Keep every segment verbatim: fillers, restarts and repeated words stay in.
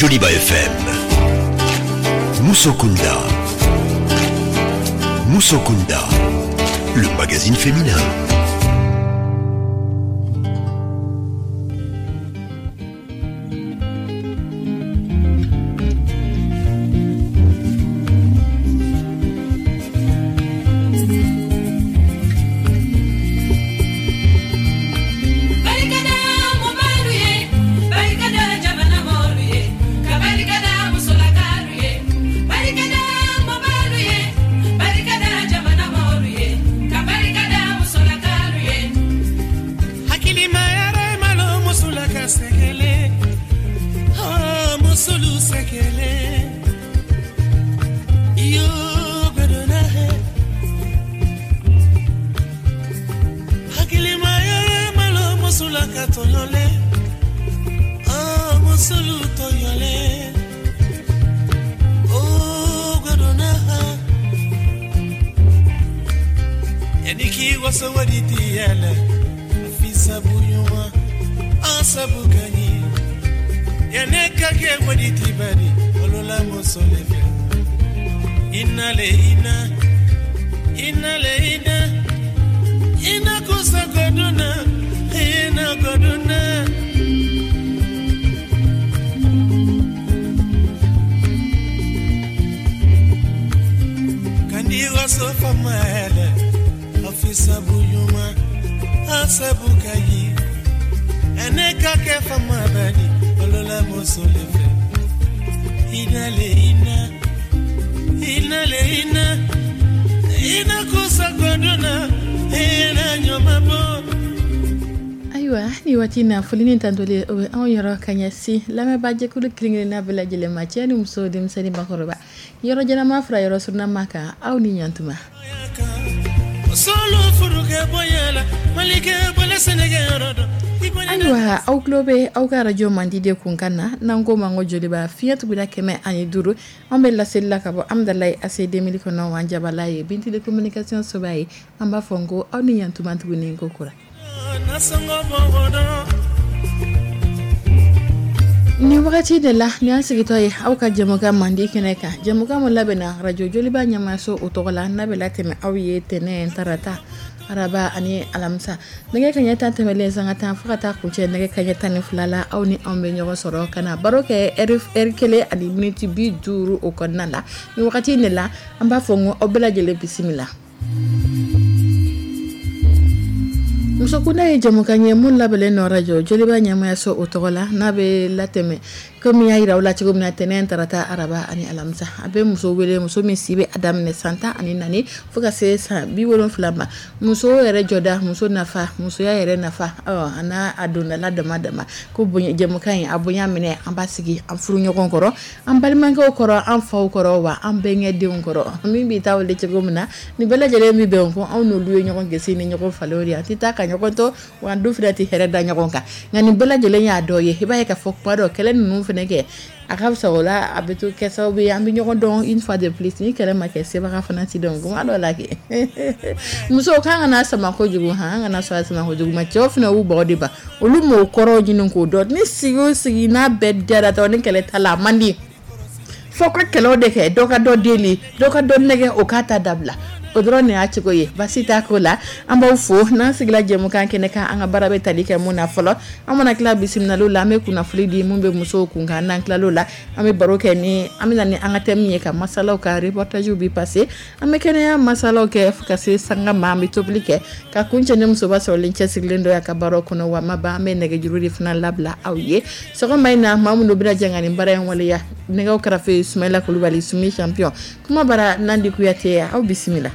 Joliba F M. Musokunda. Musokunda, le magazine féminin. Barikada mubalu ye, barikada jamana mɔlu ye, ka barikada musolakalu ye. Barikada mubalu ye, barikada jamana mɔlu ye, ka barikada musolakalu ye. Hakilima yɛrɛ malo musolaka sɛgɛlɛ, oh, musolu sɛgɛlɛ iyo gbɛdɔnna hɛ. Hakilima yɛrɛ malo musolaka tɔɲɔlɛ, oh, musolu tɔɲɔlɛ, oh, gbɛdɔnna hɛ. Yani k'i waso wadi tiyala fisabu ɲuman an sabu ka ɲi yanni ka kɛ wadi ti bari olola muso le fɛ ina le ina ina le ina ina kusa koduna ina koduna. Kandi waso fama yɛlɛ afisabu ɲuman an sabu ka ɲi ɛnɛ ka kɛ fama bani olola muso le fɛ ina le ina ina le ina ina kusa koduna ina ɲɔma bɔ. Ayiwa, ni waati na, foli ni tantoli o bɛ anw yɔrɔ ka ɲɛsin lamɛnbaajɛkulu kelen-kelenna bɛɛ lajɛlen ma, cɛ ni muso, denmisɛnnin, bakɔrɔba, yɔrɔ jɛnama fara yɔrɔ surunama kan. Aw ni ɲantuma. Solo furukɛ bonya la malikɛ bɔlɛ sɛnɛkɛ yɔrɔ dɔn i bonya. Ayiwa, aw tulo bɛ aw ka arajo mandi de kun kan na, n'an ko ma ko Joliba, fiɲɛ tuguda kɛmɛ ani duuru. An bɛ laseli la ka bɔ Amidalayi A C deux mille kɔnɔ wa jabala ye Bintili Communication soba ye. An b'a fɔ n ko aw ni ɲantuma tuguni ko kura. Nasɔngɔ bɔ dɔn. Ni wagati de la ni an sigitɔ ye aw ka jɛmukan mandi kɛnɛ kan, jɛmukan min labɛnna arajo Joliba ɲɛmaso o tɔgɔ la, n'a bɛ latɛmɛ aw ye tɛnɛ, tarata, araba ani alamisa, nɛgɛ kaɲɛ tan tɛmɛlen sanga tan fo ka taa kuncɛ nɛgɛ kaɲɛ tan ni fila la. Aw ni anw bɛ ɲɔgɔn sɔrɔ ka na baro kɛ ɛri kelen ani miniti bi duuru o kɔnɔna la. Ni wagati de la, an b'a fɔ n ko aw bɛɛ lajɛlen bisimila. Musokunda ye jɛmukan ye mun labɛnnen nɔ rajo Joliba ɲɛmayaso o tɔgɔ la, n'a bɛ latɛmɛ komi y'a yira aw la cogo min na, tɛnɛn, tarata, araba ani alamisa. A bɛ muso wele, muso min si bɛ a daminɛ san tan ani naani fo ka se san bi wolonfila ma. Muso yɛrɛ jɔda, muso nafa, musoya yɛrɛ nafa, a n'a a dondala dama dama ko bonya. Jɛmukan in a bonya minɛ, an b'a sigi an furu ɲɔgɔn kɔrɔ, an balimakɛw kɔrɔ, an faw kɔrɔ, wa an bɛnkɛ denw kɔrɔ. Min b'i ta wele cogo min na, nin bɛɛ lajɛlen bɛ bɛn ko anw n'olu ye ɲɔgɔn gese ni ɲɔgɔn falen de ye. An tɛ taa ka ɲɔgɔn to wa, an dun fana tɛ hɛrɛ da ɲɔgɔn kan. Nka nin bɛɛ lajɛlen y'a dɔ ye, i b'a ye k'a fɔ kuma dɔ kɛlɛ ninnu fana kɛ, a ka fisa o la, a bɛ to kɛ sababu ye an bɛ ɲɔgɔn dɔn une fois de plus. Ni kɛlɛ ma kɛ, sebaga fana ti dɔn. Kuma dɔ la kɛ, musow k'an kana sama kojugu han, an kana sɔn a sama kojugu ma. Cɛw fana y'u bɔgɔ de ban, olu m'o kɔrɔ ɲini k'o dɔn. Ni sigi o sigi n'a bɛɛ diyara dɔrɔn, ni kɛlɛ t'a la, a man di. Fo ka kɛlɛw de kɛ, dɔ ka dɔ deli, dɔ ka dɔ nɛgɛ, o k'a ta dabila. O dɔrɔn de y'a cogo ye, basi t'a ko la. An b'aw fo. N'an sigila jɛmukan kɛnɛ kan, an ka baara bɛ tali kɛ mun na fɔlɔ? An mana tila bisimilaliw la, an bɛ kunnafoni di mun bɛ musow kun kan. N'an tilal'o la, an bɛ baro kɛ ni an bɛ na ni an ka thème ye, ka masalaw ka reportage bi passer, an bɛ kɛnɛya masalaw kɛ fo ka se sanga ma. An bɛ tobili kɛ ka kuncɛ ni musoba sɔrɔlen cɛsirilen dɔ y'a ka baaraw kɔnɔ. Wa ma ban, an bɛ nɛgɛjuru de fana labila aw ye sɔgɔma in na. Maa minnu bɛna jɛ ka nin baara in waleya, nɛgɛw karafe Sumayila Kulubali, Sumi champion, kuma bara Nandi Kuyate, aw bisimila.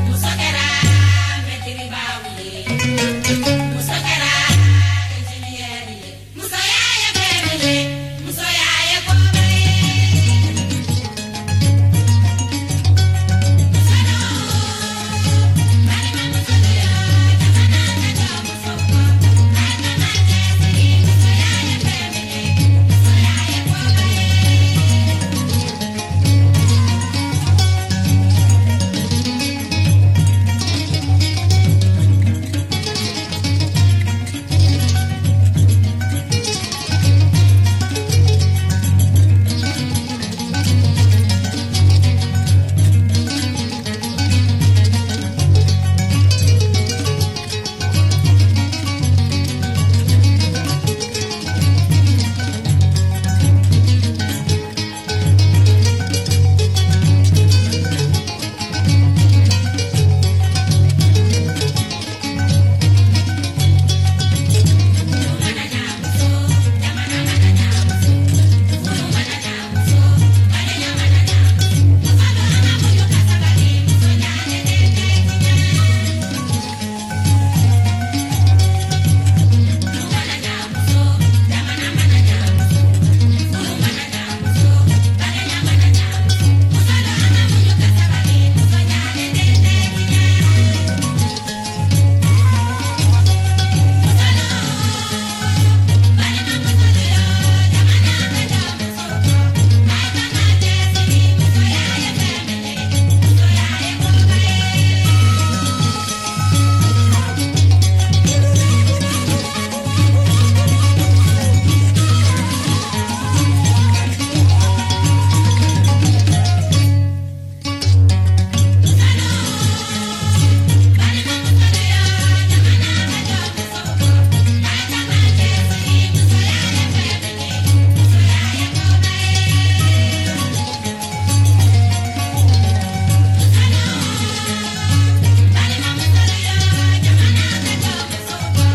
Muso kɛra mɛtiribaw ye, muso kɛra ingénieur ye, musoya ye fɛn min ye, musoya ye koba ye. Musolu, balimamusolu yo, jamana ka jɔ musow kɔ, a kana cɛsiri, musoya ye fɛn min ye, musoya ye koba ye. Furu mana ɲa muso, jamana mana ɲa muso, furu mana ɲa muso, badenya mana ɲa muso, musolu an ka muɲu ka sabali, muso ɲalen den tɛ tiɲɛ. Du mana ɲa muso, jamana mana ɲa muso, furu mana ɲa muso, badenya mana ɲa muso, musolu an ka muɲu ka sabali, muso ɲalen den tɛ tiɲɛ. Musolu, balimamusolu yo, jamana ka jɔ musow kɔ, a kana cɛsiri, musoya ye fɛn min ye, musoya ye koba ye. Musolu, balimamusolu yo, jamana ka jɔ musow kɔ, a kana cɛsiri, musoya ye fɛn min ye, musoya ye koba ye. Musolu, balimamusolu yo, jamana ka jɔ musow kɔ,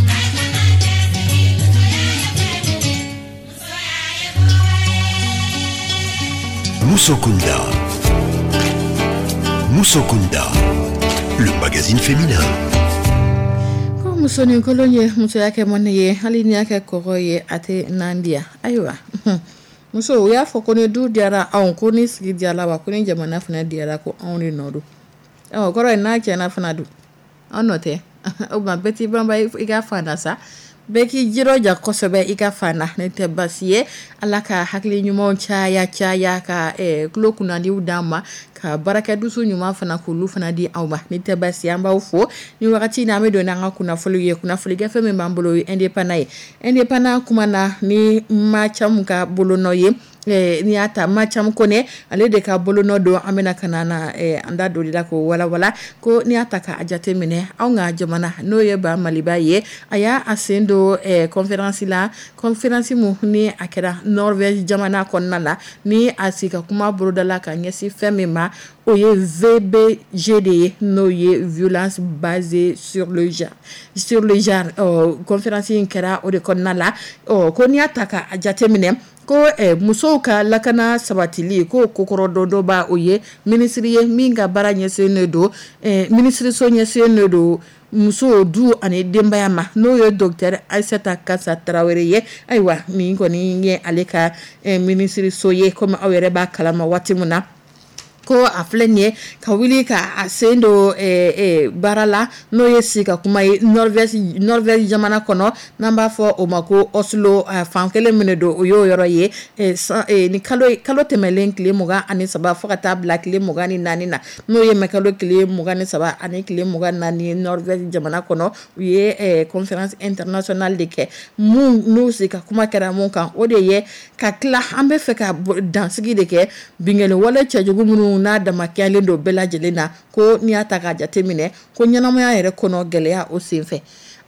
a kana cɛsiri, musoya ye fɛn min ye, musoya ye koba ye. Musokunda. Musokunda, le magazine féminin. Ko musonin kolon ye musoya kɛ mɔnɛ ye, hali n'i y'a kɛ kɔgɔ ye, a tɛ nan diya. Ayiwa, muso, u y'a fɔ ko ni du diyara anw, ko ni sigi diyara, wa ko ni jamana fana diyara, ko anw de nɔ don. Ɔ, kɔrɔ ye n'a tiɲɛna fana dun, anw nɔ tɛ. O tuma bɛɛ t'i banba i ka fan na sa, bɛɛ k'i jirɔja kosɛbɛ i ka fan na, ne tɛ baasi ye. Ala ka hakili ɲumanw caya caya, ka eh, tulo kunnadiw d'an ma, ka baarakɛdusu ɲuman fana k'olu fana di aw ma. Ni tɛ baasi ye, an b'aw fo ni wagati in na. An bɛ don n'an ka kunnafoniw ye. Kunnafoni gafe min b'an bolo o ye Indépendant ye. Indépendant kuma na ni Macamu ka bolonɔ ye. Eh, n'i y'a ta, Macamu Kone ale de ka bolonɔ don. An bɛna ka na na eh, an da don de la k'o walawala. Ko n'i y'a ta k'a jate minɛ, anw ka jamana, n'o ye ba Maliba ye, a y'a a sen don eh, conférence la, conférence mun ni a kɛra Norvège jamana kɔnɔna la, ni a sigi ka kuma bolodala ka ɲɛsin fɛn min ma, o ye V B G de ye, n'o ye violence basée sur le genre sur le genre Ɔ, conférence in kɛra o de kɔnɔna la. Ɔ, ko n'i y'a ta k'a jate minɛ, ko eh, musow ka lakana sabatili ko kokɔrɔdɔdɔba, o ye minisiri ye min ka baara ɲɛsinnen don, eh, minisiriso ɲɛsinnen don muso, du ani denbaya ma, n'o ye docteur Aissata Kassa Traoré ye. Ayiwa, nin kɔni ye ale ka eh, minisiriso ye. Komi aw yɛrɛ b'a kalama waati min na, ko a filɛ nin ye ka wuli ka a sen don eh, eh, baara la, n'o ye sigi ka kuma ye Norvège Norvège jamana kɔnɔ, n'an b'a fɔ o ma ko Oslo. eh, fan kelen min de don, o y'o yɔrɔ ye. eh, san, eh, ni kalo kalo tɛmɛlen tile mugan ani saba fo ka taa bila tile mugan ni naani na, n'o ye mɛ kalo tile mugan ni saba ani tile mugan ni naani ye, Norvège jamana kɔnɔ, u ye eh, conférence internationale de kɛ mun n'u sigi ka kuma kɛra mun kan, o de ye ka tila an bɛ fɛ ka dansigi de kɛ binkanni wale cɛjugu minnu n'a damakɛyalen don bɛɛ lajɛlen na. Ko n'i y'a ta k'a jate minɛ, ko ɲɛnamaya yɛrɛ kɔnɔ gɛlɛya o senfɛ,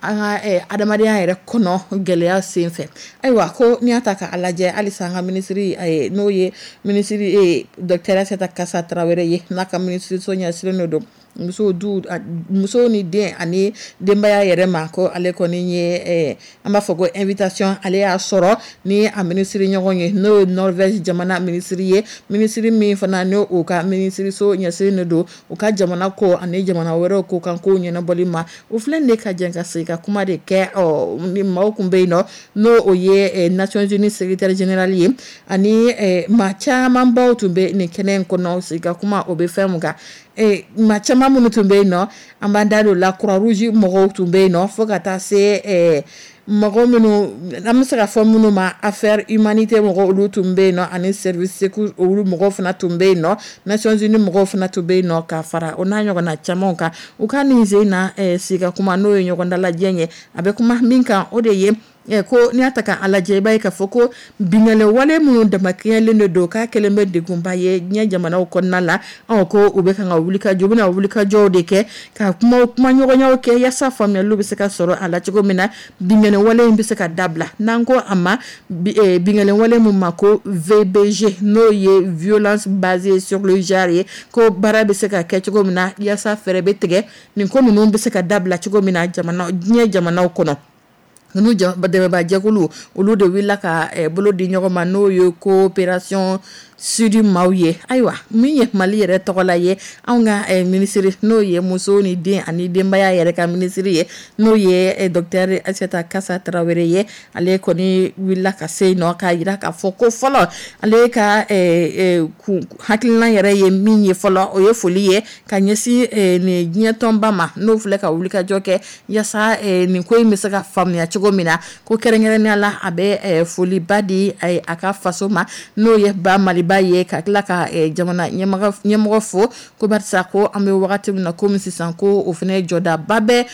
an ka eh, adamadenya yɛrɛ kɔnɔ gɛlɛya senfɛ. Ayiwa, ko n'i y'a ta k'a lajɛ, halisa an ka minisiri, eh, n'o ye minisiri eh, docteur Aissata Kassa Traoré ye, n'a ka minisiriso ɲɛsinnen don Muso du muso ni den ani denbaya yɛrɛ ma, ko ale kɔni ye, an b'a fɔ ko invitation ale y'a sɔrɔ ni a minisiri ɲɔgɔn ye, n'o ye Norvège jamana minisiri ye, minisiri min fana n'o u ka minisiriso ɲɛsinnen don u ka jamana ko ani jamana wɛrɛw ko kan ko ɲɛnabɔli ma. O filɛ de ka jɛ ka sigi ka kuma de kɛ. Ɔ ni maaw tun bɛ yen nɔ, n'o o ye Nations Unies secrétaire général ye, ani maa camanbaw tun bɛ nin kɛnɛ in kɔnɔ. Sigi ka kuma o bɛ fɛn mun kan, maa caman minnu tun bɛ yen nɔ, an b'an da don la, Croix-Rouge mɔgɔw tun bɛ yen nɔ, fo ka taa se mɔgɔ minnu an bɛ se ka fɔ minnu ma affaire humanité mɔgɔw, olu tun bɛ yen nɔ, ani service secours olu mɔgɔw fana tun bɛ yen nɔ, Nations Unies mɔgɔw fana tun bɛ yen nɔ, ka fara o n'a ɲɔgɔnna camanw kan. U ka nin sen na sigi ka kuma, n'o ye ɲɔgɔn dalajɛ ye, a bɛ kuma min kan, o de ye ko n'i y'a ta k'a lajɛ, i b'a ye k'a fɔ ko binkanni wale minnu damakɛɲɛlen de don, k'a kɛlen bɛ degunba ye diɲɛ jamanaw kɔnɔna la. Ɔ ko u bɛ kan ka wulikajɔ, u bɛna wulikajɔw de kɛ ka kuma kuma ɲɔgɔnyaw kɛ yaasa faamuyaliw bɛ se ka sɔrɔ a la cogo min na, binkanni wale in bɛ se ka dabila. N'an ko a ma binkanni wale mun ma ko V B G, n'o ye violence basée sur le genre ye, ko baara bɛ se ka kɛ cogo min na yaasa fɛɛrɛ bɛ tigɛ nin ko ninnu bɛ se ka dabila cogo min na jamana diɲɛ jamanaw kɔnɔ. Ninnu dɛmɛbaa jɛkulu olu de wulila ka bolo di ɲɔgɔn ma, n'o ye coopération sud maaw ye. Ayiwa, min ye Mali yɛrɛ tɔgɔ la ye, anw ka minisiri, n'o ye muso ni den ani denbaya yɛrɛ ka minisiri ye, n'o ye docteur Aïssata Kassa Traoré ye, ale kɔni wulila ka se yen nɔ k'a jira k'a fɔ ko fɔlɔ ale ka hakilina yɛrɛ ye min ye fɔlɔ, o ye foli ye ka ɲɛsin nin diɲɛ tɔnba ma, n'o filɛ ka wulikajɔ kɛ yaasa nin ko in bɛ se ka faamuya cogo min na. Ko kɛrɛnkɛrɛnnenya la, a bɛ foliba di a ka faso ma, n'o ye ba Maliba ye, ka tila ka jamana ɲɛmɔgɔ fo, ko barisa ko an bɛ wagati min na komi sisan, ko o fana jɔdaba bɛ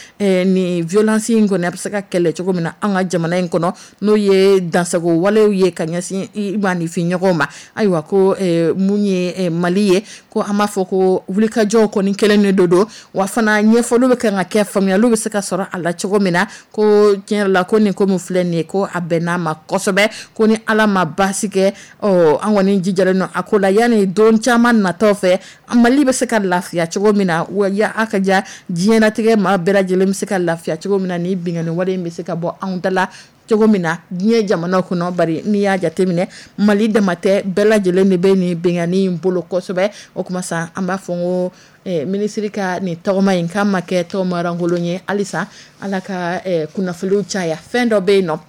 nin violence in kɔni a bɛ se ka kɛlɛ cogo min na an ka jamana in kɔnɔ, n'o ye dansago walew ye ka ɲɛsin i maaninfin ɲɔgɔnw ma. Ayiwa, ko mun ye Mali ye, ko an b'a fɔ ko wulikajɔw kɔni kɛlen de don, wa fana ɲɛfɔliw bɛ kan ka kɛ, faamuyaliw bɛ se ka sɔrɔ a la cogo min na. Ko tiɲɛ yɛrɛ la, ko nin ko min filɛ nin ye, ko a bɛnn'a ma kosɛbɛ, ko ni Ala ma baasi kɛ, ɔ an kɔni jijalen don a ko la, yanni don caman natɔ fɛ Mali bɛ se ka lafiya cogo min na, wa a ka ja diɲɛlatigɛ maa bɛɛ lajɛlen bɛ se ka lafiya cogo min na, ni binkanni wale in bɛ se ka bɔ anw da la cogo min na diɲɛ jamanaw kɔnɔ. Bari n'i y'a jateminɛ, Mali dama tɛ, bɛɛ lajɛlen de bɛ nin binkanni in bolo kosɛbɛ. O kuma sa, an b'a fɔ ko minisiri ka nin tɔgɔma in k'a ma kɛ tɔgɔmarankolon ye, halisa Ala ka kunnafoniw caya. Fɛn dɔ bɛ yen nɔ,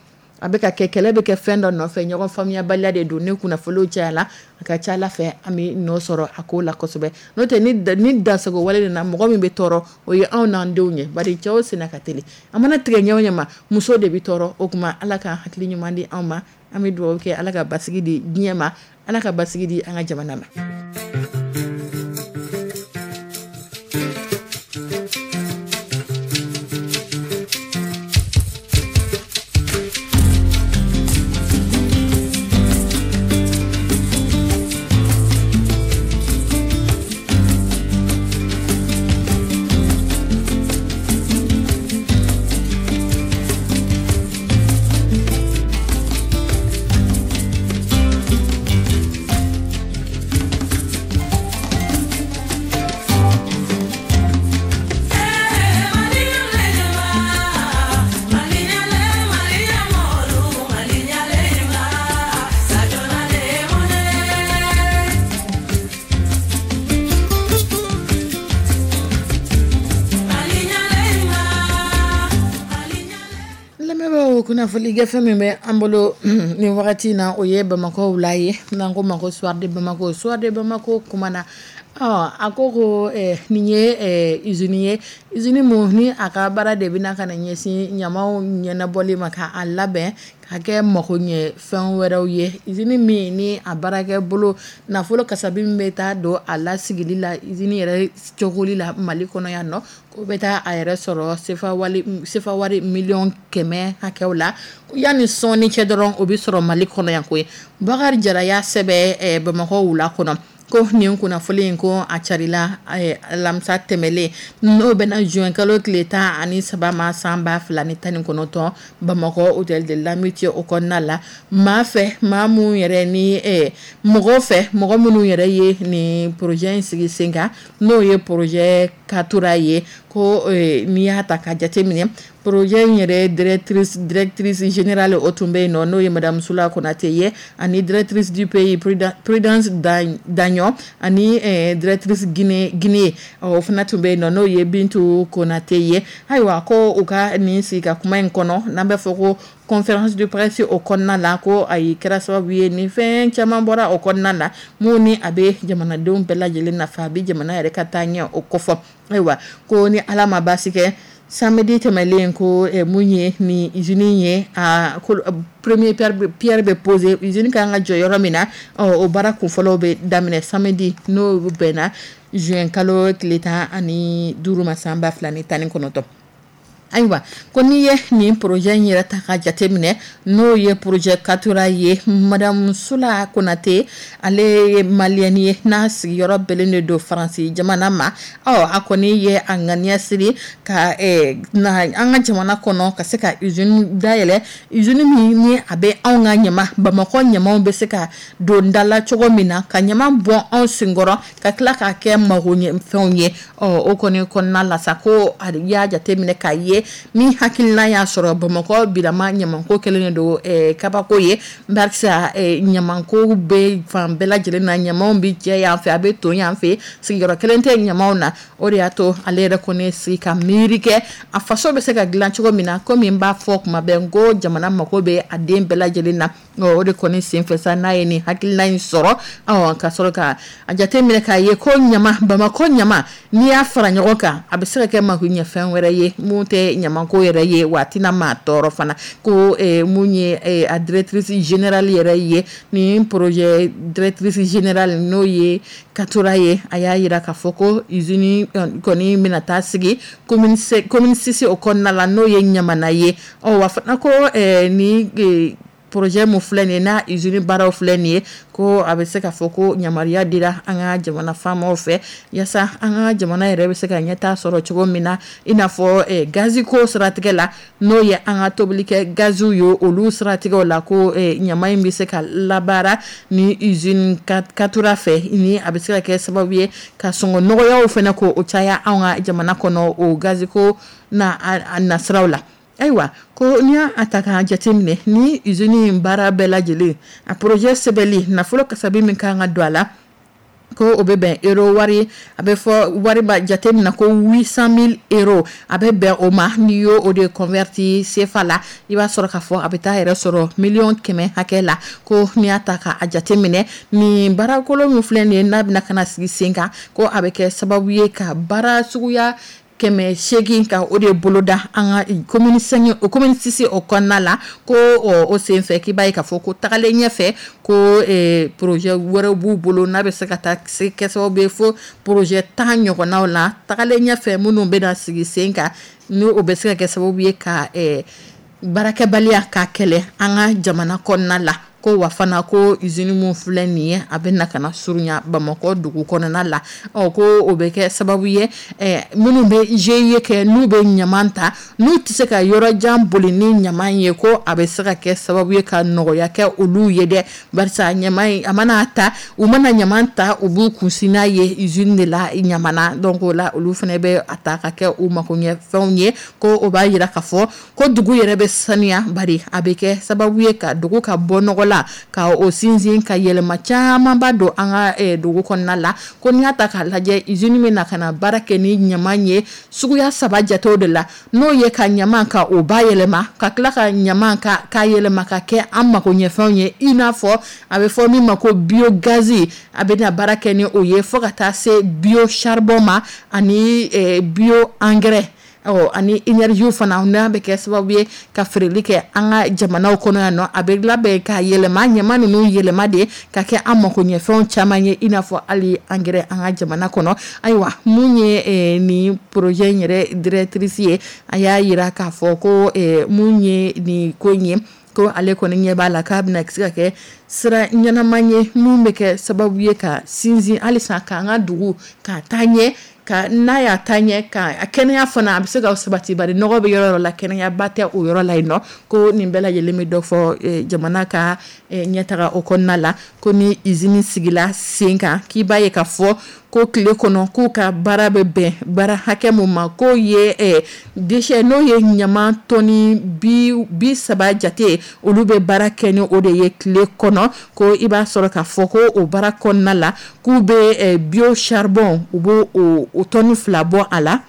a bɛ ka kɛ, kɛlɛ bɛ kɛ fɛn dɔ nɔfɛ, ɲɔgɔn faamuyabaliya de don. Ni kunnafoniw cayala, a ka ca Ala fɛ an bɛ nɔ sɔrɔ a ko la kosɛbɛ. N'o tɛ, ni dansago wale de na, mɔgɔ min bɛ tɔɔrɔ, o ye anw n'an denw ye, bari cɛw senna ka teli, a mana tigɛ ɲɛ o ɲɛ ma, muso de bɛ tɔɔrɔ. O tuma Ala ka hakili ɲuman di anw ma. An bɛ dugawu kɛ, Ala ka basigi di diɲɛ ma, Ala ka basigi di an ka jamana ma. Kunnafoni gafe min bɛ an bolo nin wagati in na, o ye Bamakɔ wula ye, n'an ko ma ko Soir de Bamako. Soir de Bamako kumana, a ko ko nin ye usine ye, usine mun ni a ka baara de bɛna ka na ɲɛsin ɲamaw ɲɛnabɔli ma, k'a labɛn ka kɛ mako ɲɛ fɛn wɛrɛw ye. Usine min ni a baarakɛ bolo nafolo kasabi min bɛ taa don a lasigili la, usine yɛrɛ cogoli la Mali kɔnɔ yan nɔ, ko bɛ taa a yɛrɛ sɔrɔ sefa wari miliyɔn kɛmɛ hakɛw la. Yanni sɔɔni cɛ dɔrɔn, o bɛ sɔrɔ Mali kɔnɔ yan koyi. Bakari Jara y'a sɛbɛn Bamakɔ wula kɔnɔ ko nin kunnafoni in, ko a carila alamisa tɛmɛlen, n'o bɛna juin kalo tile tan ani saba ma san ba fila ni tan ni kɔnɔntɔn, Bamakɔ hôtel de l'amitié o kɔnɔna la. Maa fɛ, maa mun yɛrɛ ni mɔgɔ fɛ, mɔgɔ minnu yɛrɛ ye nin projet in sigi sen kan, n'o ye projet Katura ye. Ko n'i y'a ta ka jateminɛ, projet in yɛrɛ directrice directrice générale, o tun bɛ yen nɔ, n'o ye madame Sula Konate ye, ani directrice du pays Prudence Dagnon, ani directrice Guinée Guinée o fana tun bɛ yen nɔ, n'o ye Bintu Konate ye. Ayiwa, ko u ka nin sigi ka kuma in kɔnɔ, n'an bɛ fɔ ko conférence de presse o kɔnɔna la, ko ayi, kɛra sababu ye ni fɛn caman bɔra o kɔnɔna la, mun ni a bɛ jamanadenw bɛɛ lajɛlen nafa, a bɛ jamana yɛrɛ ka taa ɲɛ o kɔfɔ. Ayiwa, ko ni Ala ma baasi kɛ, samedi tɛmɛlen, ko mun ye ni usine ye, a premier pierre bɛ poser. Usine kan ka jɔ yɔrɔ min na, o baara kunfɔlɔw bɛ daminɛ samedi, n'o bɛnna juin kalo tile tan ani duuru ma, san ba fila ni tan ni kɔnɔntɔn. Ayiwa, ko n'i ye nin projet in yɛrɛ ta ka jateminɛ, n'o ye projet Katura ye, madame Sula Konate, ale ye malienne ye, n'a sigiyɔrɔ bɛnnen de don Faransi jamana ma. Ɔ, a kɔni ye a ŋaniya siri ka na an ka jamana kɔnɔ, ka se ka usine dayɛlɛ, usine min ni a bɛ anw ka ɲama, Bamakɔ ɲamaw bɛ se ka don da la cogo min na, ka ɲama bɔ anw senkɔrɔ, ka tila k'a kɛ magoɲɛfɛnw ye. Ɔ, o kɔni kɔnɔna la sa, ko a y'a jateminɛ k'a ye min hakilina y'a sɔrɔ Bamakɔ bilama ɲamanko kɛlen don kabako ye, barisa ɲamanko bɛ fan bɛɛ lajɛlen na, ɲamaw bɛ jɛ yan fɛ, a bɛ ton yan fɛ, sigiyɔrɔ kelen tɛ ɲamaw na. O de y'a to ale yɛrɛ kɔni sigi ka miiri kɛ a faso bɛ se ka dilan cogo min na. Komi n b'a fɔ kuma bɛɛ, n ko jamana mako bɛ a den bɛɛ lajɛlen na. O de kɔni senfɛ sa, n'a ye nin hakilina in sɔrɔ, ka sɔrɔ ka a jateminɛ k'a ye ko ɲama, Bamakɔ ɲama, n'i y'a fara ɲɔgɔn kan, a bɛ se ka kɛ makoɲɛfɛn wɛrɛ ye mun tɛ ɲamanko yɛrɛ ye, wa a tɛna maa tɔɔrɔ fana. Ko mun ye a directrice générale yɛrɛ ye, nin projet directrice générale, n'o ye Katura ye, a y'a jira k'a fɔ ko usine kɔni bɛna taa sigi commune commune six o kɔnɔna la, n'o ye Ɲamana ye. Ɔ, wa fana ko ni projet mun filɛ nin ye, n'a usine baaraw filɛ nin ye, ko a bɛ se ka fɔ ko yamaruya dira an ka jamana faamaw fɛ, yaasa an ka jamana yɛrɛ bɛ se ka ɲɛtaa sɔrɔ cogo min na, i n'a fɔ gazi ko siratigɛ la, n'o ye an ka tobilikɛ gaziw ye, olu siratigɛw la, ko ɲama in bɛ se ka labaara ni usine Katura fɛ, ni a bɛ se ka kɛ sababu ye ka sɔngɔ nɔgɔyaw fana ko o caya anw ka jamana kɔnɔ, o gazi ko na a nasiraw la. Ayiwa, ko n'i y'a ta k'a jateminɛ, ni usine in baara bɛɛ lajɛlen, a projet sɛbɛnli, nafolo kasabi min kan ka don a la, ko o bɛ bɛn euro wari, a bɛ fɔ wari ba jate min na ko huit cent mille euros, a bɛ bɛn o ma. N'i y'o o de converti C F A la, i b'a sɔrɔ k'a fɔ a bɛ taa yɛrɛ sɔrɔ miliyɔn kɛmɛ hakɛ la. Ko n'i y'a ta k'a jateminɛ, nin baarakolo min filɛ nin ye, n'a bɛna ka na sigi sen kan, ko a bɛ kɛ sababu ye ka baara suguya kɛmɛ seegin ka o de boloda an ka commune cinq o commune six o kɔnɔna la. Ko o senfɛ, k'i b'a ye k'a fɔ ko tagalen ɲɛfɛ, ko projet wɛrɛw b'u bolo, n'a bɛ se ka taa se kɛ sababu ye fo projet tan ɲɔgɔnnaw la tagalen ɲɛfɛ, minnu bɛna sigi sen kan, ni o bɛ se ka kɛ sababu ye ka baarakɛbaliya ka kɛlɛ an ka jamana kɔnɔna la. Ko wa fana, ko usine mun filɛ nin ye, a bɛ na ka na surunya Bamakɔ dugu kɔnɔna la. Ɔ, ko o bɛ kɛ sababu ye, minnu bɛ G I E kɛ, n'u bɛ ɲaman ta, n'u tɛ se ka yɔrɔ jan boli ni ɲaman ye, ko a bɛ se ka kɛ sababu ye ka nɔgɔya kɛ olu ye dɛ, barisa ɲaman in, a mana ta, u mana ɲaman ta, u b'u kunsin n'a ye usine de la Ɲamana. Donc o la, olu fana bɛ a ta ka kɛ u makoɲɛfɛnw ye. Ko o b'a jira k'a fɔ ko dugu yɛrɛ bɛ sanuya, bari a bɛ kɛ sababu ye ka dugu ka bɔ nɔgɔ la, ka o sinsin, ka yɛlɛma camanba don an ka dugu kɔnɔna la. Ko n'i y'a ta k'a lajɛ, usine bɛ na ka na baara kɛ ni ɲaman ye suguya saba jatew de la, n'o ye ka ɲaman ka o bayɛlɛma, ka tila ka ɲaman ka k'a yɛlɛma ka kɛ an makoɲɛfɛnw ye, i n'a fɔ a bɛ fɔ min ma ko biogaz, a bɛ na baara kɛ ni o ye, fo ka taa se biocharbon ma, ani bio engrais, ani énergie fana, n'a bɛ kɛ sababu ye ka feereli kɛ an ka jamanaw kɔnɔ yan nɔ. A bɛ labɛn ka yɛlɛma, ɲaman ninnu yɛlɛma de ka kɛ an makoɲɛfɛnw caman ye, i n'a fɔ hali engrais an ka jamana kɔnɔ. Ayiwa, mun ye nin projet in yɛrɛ directrice ye, a y'a jira k'a fɔ ko mun ye nin ko in ye, ko ale kɔni ɲɛ b'a la k'a bɛna se ka kɛ sira ɲɛnama ye, mun bɛ kɛ sababu ye ka sinsin halisa k'an ka dugu ka taa ɲɛ, ka n'a y'a taa ɲɛ, ka a kɛnɛya fana a bɛ se ka sabati, bari nɔgɔ bɛ yɔrɔ yɔrɔ la, kɛnɛyaba tɛ o yɔrɔ la yen nɔ. Ko nin bɛɛ lajɛlen bɛ dɔ fɔ jamana ka ɲɛtaga o kɔnɔna la. Ko ni usine sigila sen kan, k'i b'a ye k'a fɔ Ko tile kɔnɔ k'u ka baara bɛ bɛn baara hakɛ mun ma, k'o ye eh, déchet n'o ye ɲama tɔni bi, bi saba jate, olu bɛ baara kɛ ni o de ye tile kɔnɔ. Ko i b'a sɔrɔ k'a fɔ ko o baara kɔnɔna la, k'u bɛ eh, bio charbon, u b'o o, o tɔni fila bɔ a la,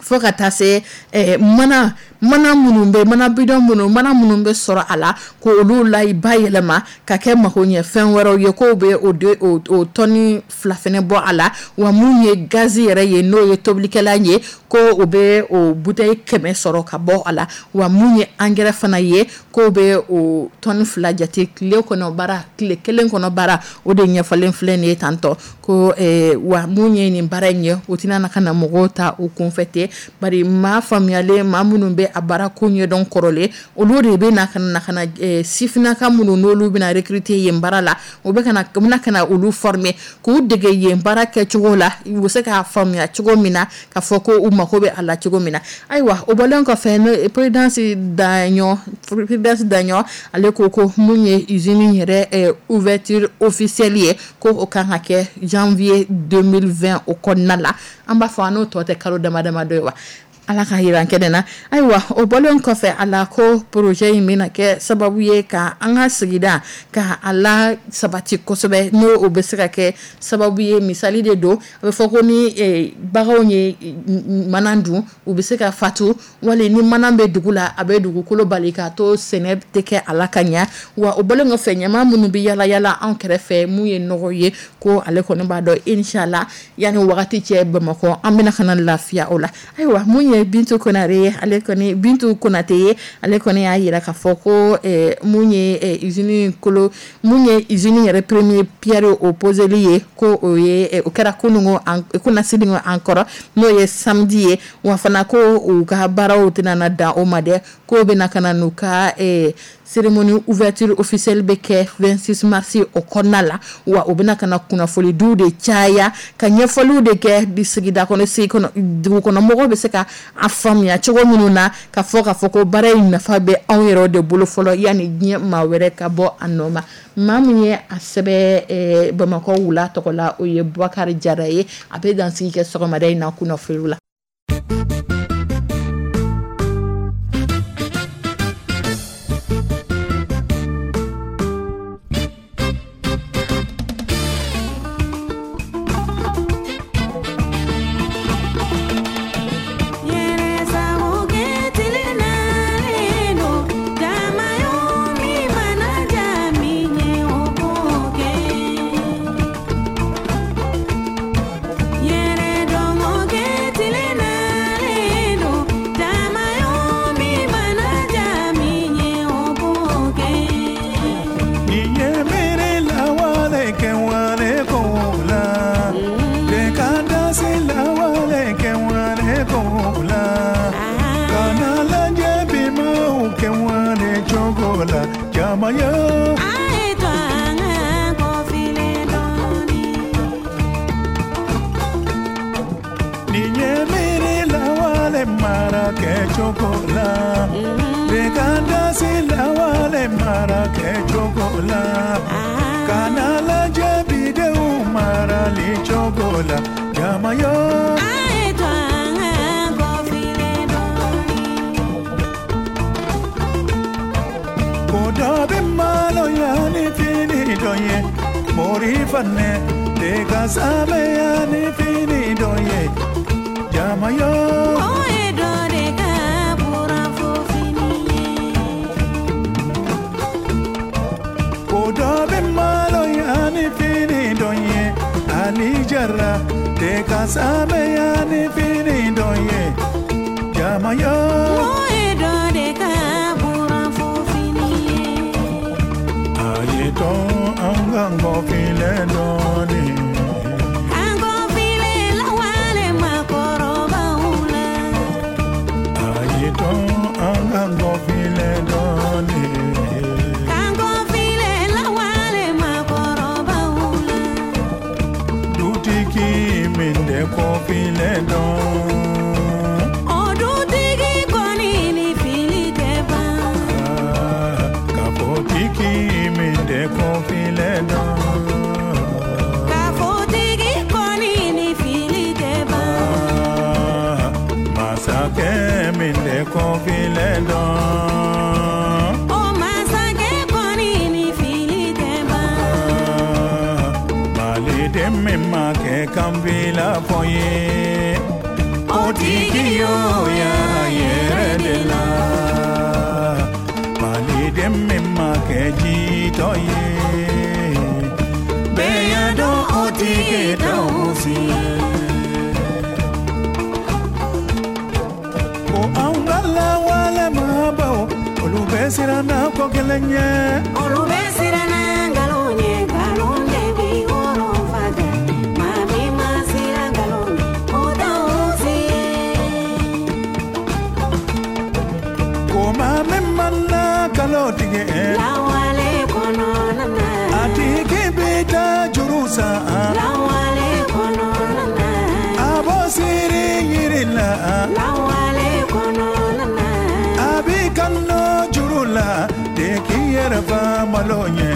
fo ka taa se eh, mana mana minnu bɛ mana bidɔn minnu mana minnu bɛ sɔrɔ a la, ko olu la bayɛlɛma ka kɛ magoɲɛfɛn wɛrɛw ye, k'o bɛ o de o, o tɔni fila fɛnɛ bɔ a la. Wa mun ye gazi yɛrɛ ye, n'o ye tobilikɛla ye, ko o bɛ o bouteille kɛmɛ sɔrɔ ka bɔ a la. Wa mun ye angɛrɛ fana ye, k'o bɛ o tɔni fila jate tile kɔnɔ baara, tile kelen kɔnɔ baara, o de ɲɛfɔlen filɛ nin ye tantɔ. Ko eh, wa mun ye nin baara in ye, o tɛna na ka na mɔgɔw ta o kunfɛ ten, bari maa faamuyalen, maa minnu bɛ a baara ko ɲɛdɔn kɔrɔlen, olu de bɛ na ka na ka na eh, sifinnaka minnu n'olu bɛna recruter yen baara la, u bɛ ka na u bɛna ka na olu former k'u dege yen baara kɛcogo la, u bɛ se k'a faamuya cogo min na k'a fɔ ko u mako bɛ a la cogo min na. Ayiwa, o bɔlen kɔfɛ, n'o Prudence Daɲɔ Prudence Daɲɔ ale ko ko mun ye usine yɛrɛ eh, ouverture officielle ye, ko o kan ka kɛ janvier deux mille vingt o kɔnɔna la. An b'a fɔ an n'o tɔ tɛ kalo dama dama dɔ ye wa, Ala ka yira kɛnɛ na. Ayiwa, o bɔlen kɔfɛ a la, ko projet in bɛna kɛ sababu ye ka an ka sigida ka a la sabati kosɛbɛ, n'o o bɛ se ka kɛ sababu ye. Misali de don, a bɛ fɔ ko ni eh, baganw ye mana dun, u bɛ se ka fatu, wali ni mana bɛ dugu la, a bɛ dugukolo bali k'a to sɛnɛ tɛ kɛ a la ka ɲɛ. Wa o bɔlen kɔfɛ, ɲama minnu bɛ yala yala an kɛrɛfɛ, mun ye nɔgɔ ye, ko ale kɔni b'a dɔn, inshallah, yanni wagati cɛ, Bamakɔ an bɛna ka na lafiya o la. Ayiwa, mun ye Bintu Konare ye, ale kɔni, Bintu Konate ye, ale kɔni y'a yira k'a fɔ ko eh, mun ye eh, usine kolo, mun ye usine yɛrɛ premier pierre o poseli ye, ko o ye eh, o kɛra kunungo kunasini an kɔrɔ, n'o ye samedi ye. Wa fana ko u ka baaraw tɛna na dan o ma dɛ, k'o bɛna ka na n'u ka eh, cérémonie ouverture officielle bɛ kɛ vingt-six mars o kɔnɔna la. Wa u bɛna ka na kunnafonidiw de caya, ka ɲɛfɔliw de kɛ di sigida kɔnɔ, sigi kɔnɔ, dugu kɔnɔ mɔgɔw bɛ se ka a faamuya cogo minnu na, ka fɔ k'a fɔ ko baara in nafa bɛ anw yɛrɛ de bolo fɔlɔ, yanni diɲɛ maa wɛrɛ ka bɔ a nɔ ma. Maa min ye a sɛbɛn eh, Bamakɔ wula tɔgɔ la, o ye Bubakari Jara ye. A bɛ dansigi kɛ sɔgɔmada in na kunnafoniw la. Dutigi min de kɔfilen dɔn. O dutigi. min tɛ kɔfilɛ dɔn. O masakɛ kɔni ni fili tɛ ban. Maliden min ma kɛ kanbila fɔ ye, o tigi y'o y'a yɛrɛ de la. Maliden min ma kɛ jitɔ ye, bɛɛ y'a dɔn o tigi t'anw si ye. Ko anw ka lawale maabaw, olu bɛ siran na ko kelen ɲɛ. Olu bɛ siran na nkalon ɲɛ, nkalon de bi wɔrɔ faga. Maa min ma siran nkalon ɲɛ, o t'anw si ye. Ko maa min ma na nkalon tigɛ, Lawale kɔnɔna na. a tigi bɛ taa juru san. Lawale kɔnɔna na. A b'o siri yiri la. Lawale kɔnɔna na. A b'i kanu juru la de k'i yɛrɛ fa malo ɲɛ.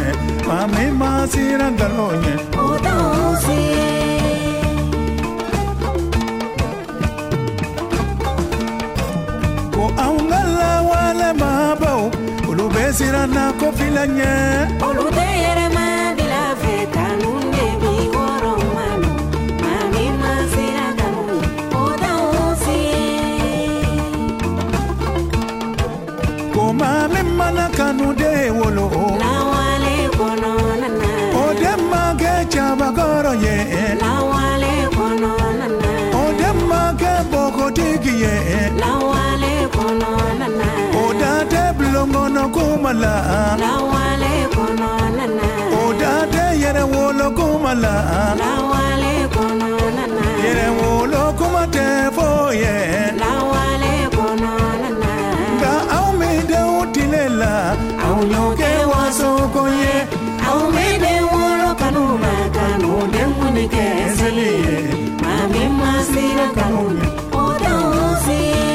Maa min ma siran nkalon ɲɛ, O t'anw si ye. Ko anw ka lawale maabaw, olu bɛ siran na ko filɛ ɲɛ. Olu tɛ yɛrɛmabila fɛ, kanu de bi wɔrɔ malo. Maa min ma siran nkalon ɲɛ, o t'anw si ye. Ko maa min mana kanu den wolo, Lawale kɔnɔna na. o den ma kɛ cabakɔrɔ ye, Lawale kɔnɔna na. o den ma kɛ npogotigi ye, Lawale kɔnɔna na. o da tɛ bulon kɔnɔ kuma la, Lawale kɔnɔna na. o da tɛ yɛrɛwolo kuma la, Lawale kɔnɔna na. yɛrɛwolo kuma tɛ fɔ ye. Lawale kɔnɔna na. Nka anw min denw tile la, anw y'o kɛ waso ko ye. Anw bɛ den wolo kanu ma, kanu den kunni kɛ seli ye. Maa min ma siran kanu ɲɛ, o t'anw si ye.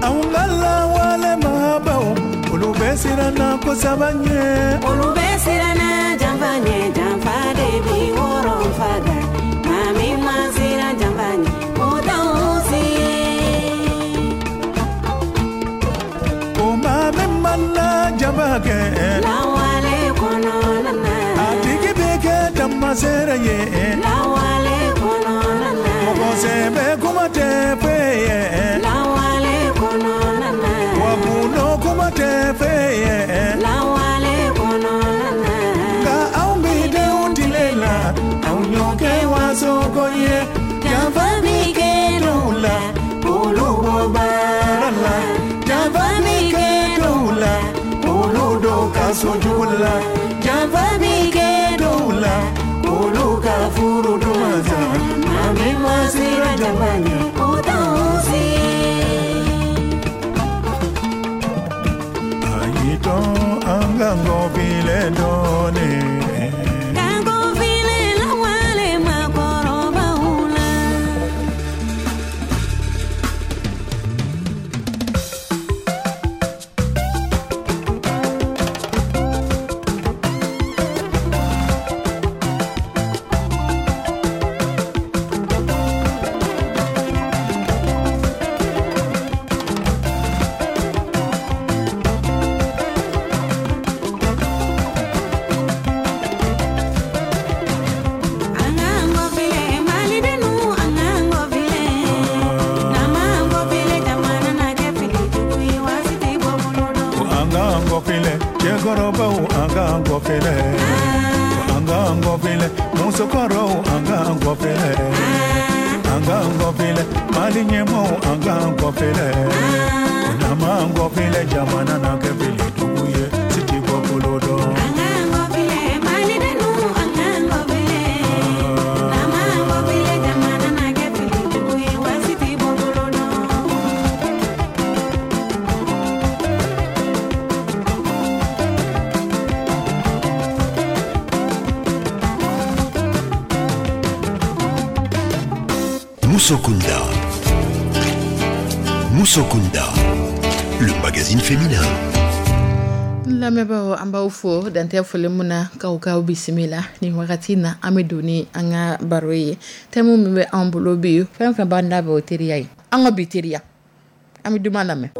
Anw ka lawale maabaw, olu bɛ siran na ko saba ɲɛ. Olu bɛ siran na janfa ɲɛ, janfa de bi wɔrɔ faga. Maa min ma siran janfa ɲɛ, o t'anw si ye. Ko maa min mana jaba kɛ, Lawale kɔnɔna na. a tigi bɛ kɛ tamaseere ye. Lawale kɔnɔna na. Mɔgɔ sɛbɛ kuma tɛ f'e ye. Lawale kɔnɔna na. Wa gundo kuma tɛ f'e ye. Lawale kɔnɔna na. Nka anw bi denw tile la, anw y'o kɛ waso ko ye. Janfa bi kɛ dɔw la, olu bɔ baara la. Janfa bi kɛ dɔw la, olu dɔw ka sojugu la. Janfa bi kɛ dɔw la, olu ka furu duman sa. Maa min ma siran janfa ɲɛ, o t'anw si ye. A y'i to an ka ngɔfilɛ dɔɔnin. Kanko file lawale maakɔrɔbaw la. An k'an kɔfilɛ Malidenw, an k'an kɔfilɛ. N'an m'an kɔfilɛ, jamana na kɛ fili jugu ye, waati tɛ bɔ bolo dɔn. Ko an k'an kɔfilɛ cɛkɔrɔbaw, an k'an kɔfilɛ. Ko an k'an kɔfilɛ musokɔrɔw, an k'an kɔfilɛ. An k'an kɔfilɛ Mali ɲɛmaaw, an k'an kɔfilɛ. Ko n'an m'an kɔfilɛ, jamana na kɛ fili jugu ye, si tɛ bɔ bolo dɔn. An k'an kɔfilɛ Malidenw, an k'an kɔfilɛ. N'an m'an kɔfilɛ, jamana na kɛ fili jugu ye, waati tɛ bɔ bolo dɔn. Musokunda. Musokunda, le magazine féminin. N lamɛnbaaw, an b'aw fo dantɛ foli mun na k'aw k'aw bisimila nin wagati na. An bɛ don ni an ka baro ye. Thème min bɛ an bolo bi, fɛn fɛn b'an da bɛ o teriya ye, an ka bi teriya. An bɛ duman lamɛn.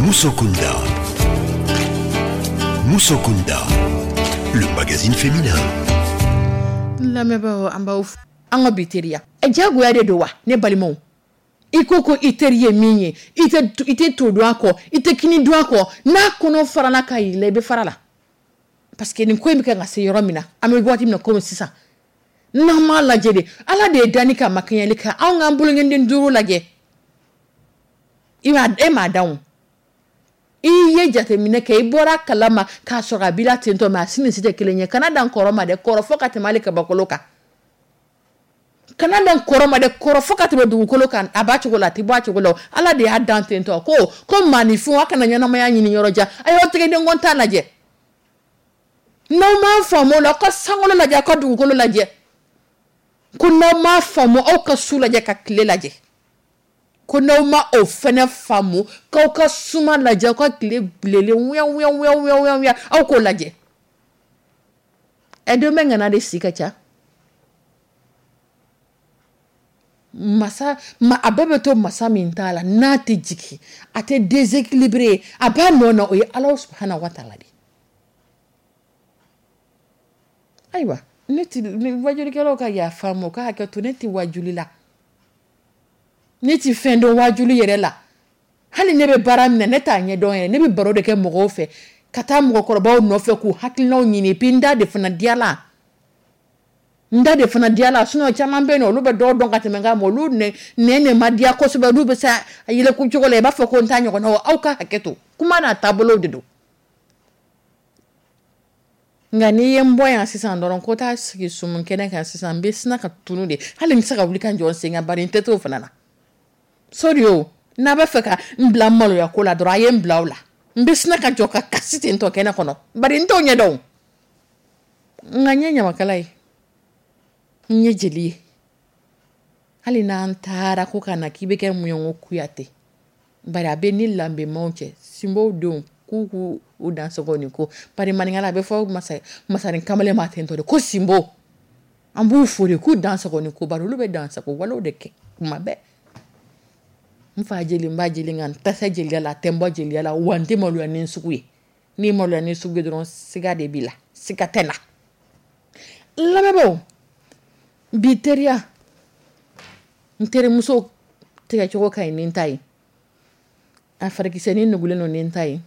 Musokunda. Musokunda, le magazine féminin. Lamɛnbaaw, an b'aw an ka bi teriya jagoya de don wa? Ne balimaw, i ko ko i teri ye min ye, i tɛ i tɛ to dun a kɔ, i tɛ kini dun a kɔ, n'a kɔnɔ farala ka yɛlɛ, i bɛ fara la, parce que nin ko in bɛ kan ka se yɔrɔ min na, an bɛ waati min na komi sisan, n'an m'a lajɛ de, Ala de ye danni kɛ, a ma kɛɲɛli kɛ. Anw k'an bolonkɔnden duuru lajɛ, i b'a e m'a dan o, i ye jateminɛ kɛ, i bɔra kalama k'a sɔrɔ a b'i la ten tɔ, mais a si ni si tɛ kelen ye. Kana dan kɔrɔ ma dɛ, kɔrɔ fɔ ka tɛmɛ hali kabakolo kan. Kana dan kɔrɔ ma dɛ, kɔrɔ fo ka tɛmɛ dugukolo kan, a b'a cogo la, a tɛ bɔ a cogo la. Ala de y'a dan ten tɔ, ko ko maaninfin, a kana ɲɛnamaya ɲini yɔrɔ jan, a y'aw tɛgɛdenkɔn ta lajɛ. N'aw m'a faamu o la, aw ka sankolo lajɛ, aw ka dugukolo lajɛ. Ko n'aw m'a faamu, aw ka su lajɛ ka tile lajɛ. Ko n'aw ma o fɛnɛ faamu, k'aw ka suma lajɛ, aw ka tile bilenlen wuya wuya wuya wuya wuya wuya, aw k'o lajɛ. Ɛ, don bɛ ŋana de si ka ca. Masa ma, a bɛɛ bɛ to masa min t'a la, n'a tɛ jigin, a tɛ déséquilibré, a b'a nɔ na, o ye Ala subahana wa taala de. Ayiwa, ne ti wajulikɛlaw ka yafa ma, u ka hakɛ to, ne ti wajuli la, ne ti fɛn dɔn wajuli yɛrɛ la. Hali ne bɛ baara min na, ne t'a ɲɛdɔn yɛrɛ. Ne bɛ baro de kɛ mɔgɔw fɛ, ka taa mɔgɔkɔrɔbaw nɔfɛ k'u hakilinaw ɲini, puis n da de fana diyala, n da de fana diyala. Sinon caman bɛ yen nɔ, olu bɛ dɔw dɔn ka tɛmɛ n kan, olu nɛ nɛ ma diya kosɛbɛ, olu bɛ se a yɛlɛko cogo la, i b'a fɔ ko n t'a ɲɔgɔn na. Aw ka hakɛ to, kuma n'a taabolo de don. Nka n'i ye n bɔ yan sisan dɔrɔn ko taa sigi sumu kɛnɛ kan sisan, n bɛ sina ka tunu de, hali n tɛ se ka wuli ka jɔ n sen kan, bari n tɛ t'o fana na. Sori o, n'a b'a fɛ ka n bila maloya ko la dɔrɔn, a ye n bila o la, n bɛ sina ka jɔ ka kasi ten tɔ kɛnɛ kɔnɔ, bari n t'o ɲɛdɔn. Nka n ye ɲamakala ye, n ye jeli ye. Hali n'an taara ko ka na k'i bɛ kɛ mun ye, n ko Kuyate, bari a bɛ ni lanbemaw cɛ, sinbow denw k'u k'u u dansogo nin ko, bari maninkala a bɛ fɔ masa masarin kamalen ma ten tɔ de ko sinbo. An b'u fo de k'u dansogo ni ko, bari olu bɛ dansago walew de kɛ kuma bɛɛ. N fa jeli, n ba jeli, nka n tɛ se jeliya la, a tɛ n bɔ jeliya la, wa n tɛ maloya ni n sugu ye. N'i maloya ni sugu ye dɔrɔn, siga de b'i la, siga tɛ n na. Lamɛnbaaw, bi teriya, n terimuso tigɛcogo ka ɲi ni n ta ye, a farikisɛnin nugulen don ni n ta ye,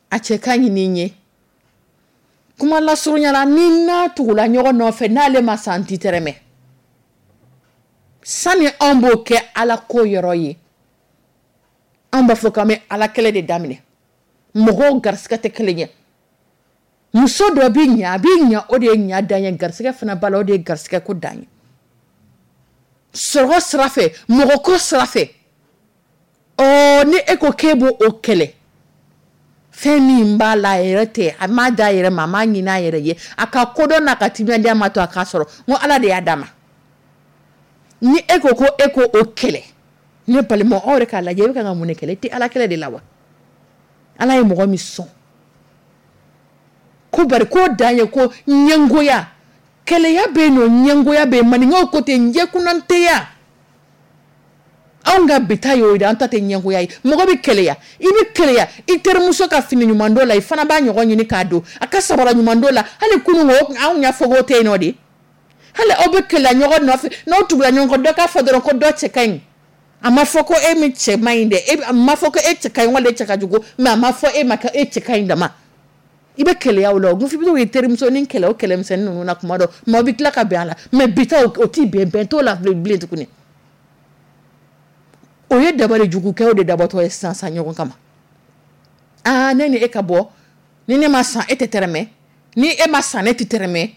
a cɛ ka ɲi ni n ye. Kuma lasurunya la, ni n'a tugula ɲɔgɔn nɔfɛ, n'ale ma san ti tɛrɛmɛ. Sani anw b'o kɛ Ala ko yɔrɔ ye, anw b'a fɔ k'an bɛ Ala kɛlɛ de daminɛ. Mɔgɔw garisigɛ tɛ kelen ye. Muso dɔ bɛ ɲa, a bɛ ɲa, o de ye ɲa dan ye, garisigɛ fana b'a la, o de ye garisigɛ ko dan ye. Sɔrɔ sira fɛ, mɔgɔ ko sira fɛ, ɔ ni e ko k'e b'o o kɛlɛ, fɛn min b'a la a yɛrɛ tɛ, a m'a d'a yɛrɛ ma, a m'a ɲini a yɛrɛ ye, a ka kodɔn n'a ka timinandiya ma to a k'a sɔrɔ, n ko Ala de y'a d'a ma. Ni e ko ko e ko o kɛlɛ, ne balima, aw yɛrɛ k'a lajɛ, e bɛ kan ka mun de kɛlɛ? E tɛ Ala kɛlɛ de la wa? Ala ye mɔgɔ min sɔn ko bari k'o dan ye ko ɲɛngoya, kɛlɛya bɛ yen nɔ, ɲɛngoya bɛ yen, maninkaw ko ten ɲɛkunnanteya. Anw ka bi ta y'o de, an ta tɛ ɲɛngoya ye. Mɔgɔ bɛ kɛlɛya, i bɛ kɛlɛya i terimuso ka fini ɲuman dɔ la, i fana b'a ɲɔgɔn ɲini k'a don, a ka sabara ɲuman dɔ la. Hali kunun o anw y'a fɔ k'o tɛ yen nɔ de. Hali aw bɛ kɛlɛya ɲɔgɔn nɔfɛ, n'aw tugula ɲɔgɔn kɔ, dɔ k'a fɔ dɔrɔn ko dɔ cɛ ka ɲi. A ma fɔ ko e min cɛ man ɲi dɛ, e a ma fɔ ko e cɛ ka ɲi wala e cɛ ka jugu, mais a ma fɔ e ma ko e cɛ ka ɲi dama. I bɛ kɛlɛya o la, o f'i bɛ to k'i terimusonin kɛlɛ o kɛlɛmisɛnnin ninnu na kuma dɔ, mais aw bɛ tila ka bɛn a la. Mais bi ta o t'i bɛn, bɛn t'o la bilen tuguni. O ye dabali jugukɛw de dabɔtɔ ye sisan sisan ɲɔgɔn kama. Aa, ne ni e ka bɔ, ni ne ma san e tɛ tɛrɛmɛ, ni e ma san ne tɛ tɛrɛmɛ.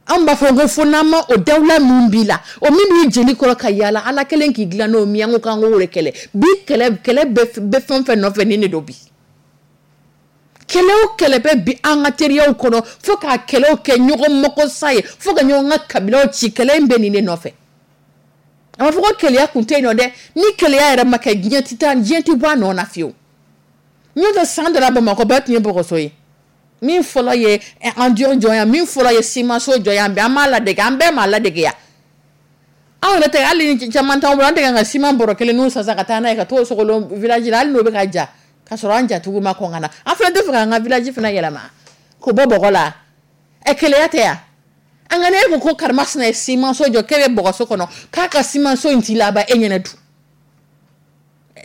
Anw b'a fɔ ko fo n'an ma o dawula min b'i la, o min b'i jeli kɔrɔ ka yaala, Ala kelen k'i dilan n'o min ye, an ko k'an k'o de kɛlɛ. Bi kɛlɛ, kɛlɛ bɛ fɛn fɛn nɔfɛ nin de don bi. Kɛlɛ o kɛlɛ bɛ bi an ka teriyaw kɔnɔ, fo k'a kɛlɛw kɛ ɲɔgɔn makosa ye, fo ka ɲɔgɔn ka kabilaw ci, kɛlɛ in bɛ nin de nɔfɛ. A ma fɔ ko keleya kun tɛ yen nɔ dɛ, ni keleya yɛrɛ ma kɛ, diɲɛ tɛ taa, diɲɛ tɛ bɔ a nɔ na fiyewu. N'o tɛ san dɔ la, Bamakɔ bɛɛ tun ye bɔgɔso ye. Min fɔlɔ ye an jɔn jɔ yan, min fɔlɔ ye simanso jɔ yan, an b'a ladege, an bɛɛ m'a ladege yan. Anw yɛrɛ tɛ, hali ni caman t'anw bolo, an tɛ kan ka siman bɔrɔ kelen n'u san ka taa n'a ye ka t'o sogolon village la, hali n'o bɛ ka ja, ka sɔrɔ an jatigiw ma kɔn ka na. An fana tɛ fɛ k'an ka village fana yɛlɛma k'o bɔ bɔgɔ la. Ɛ, keleya tɛ yan. An ka ne ko ko karimasina ye simanso jɔ, k'e bɛ bɔgɔso kɔnɔ, k'a ka simanso in t'i laban e ɲɛnɛ dun.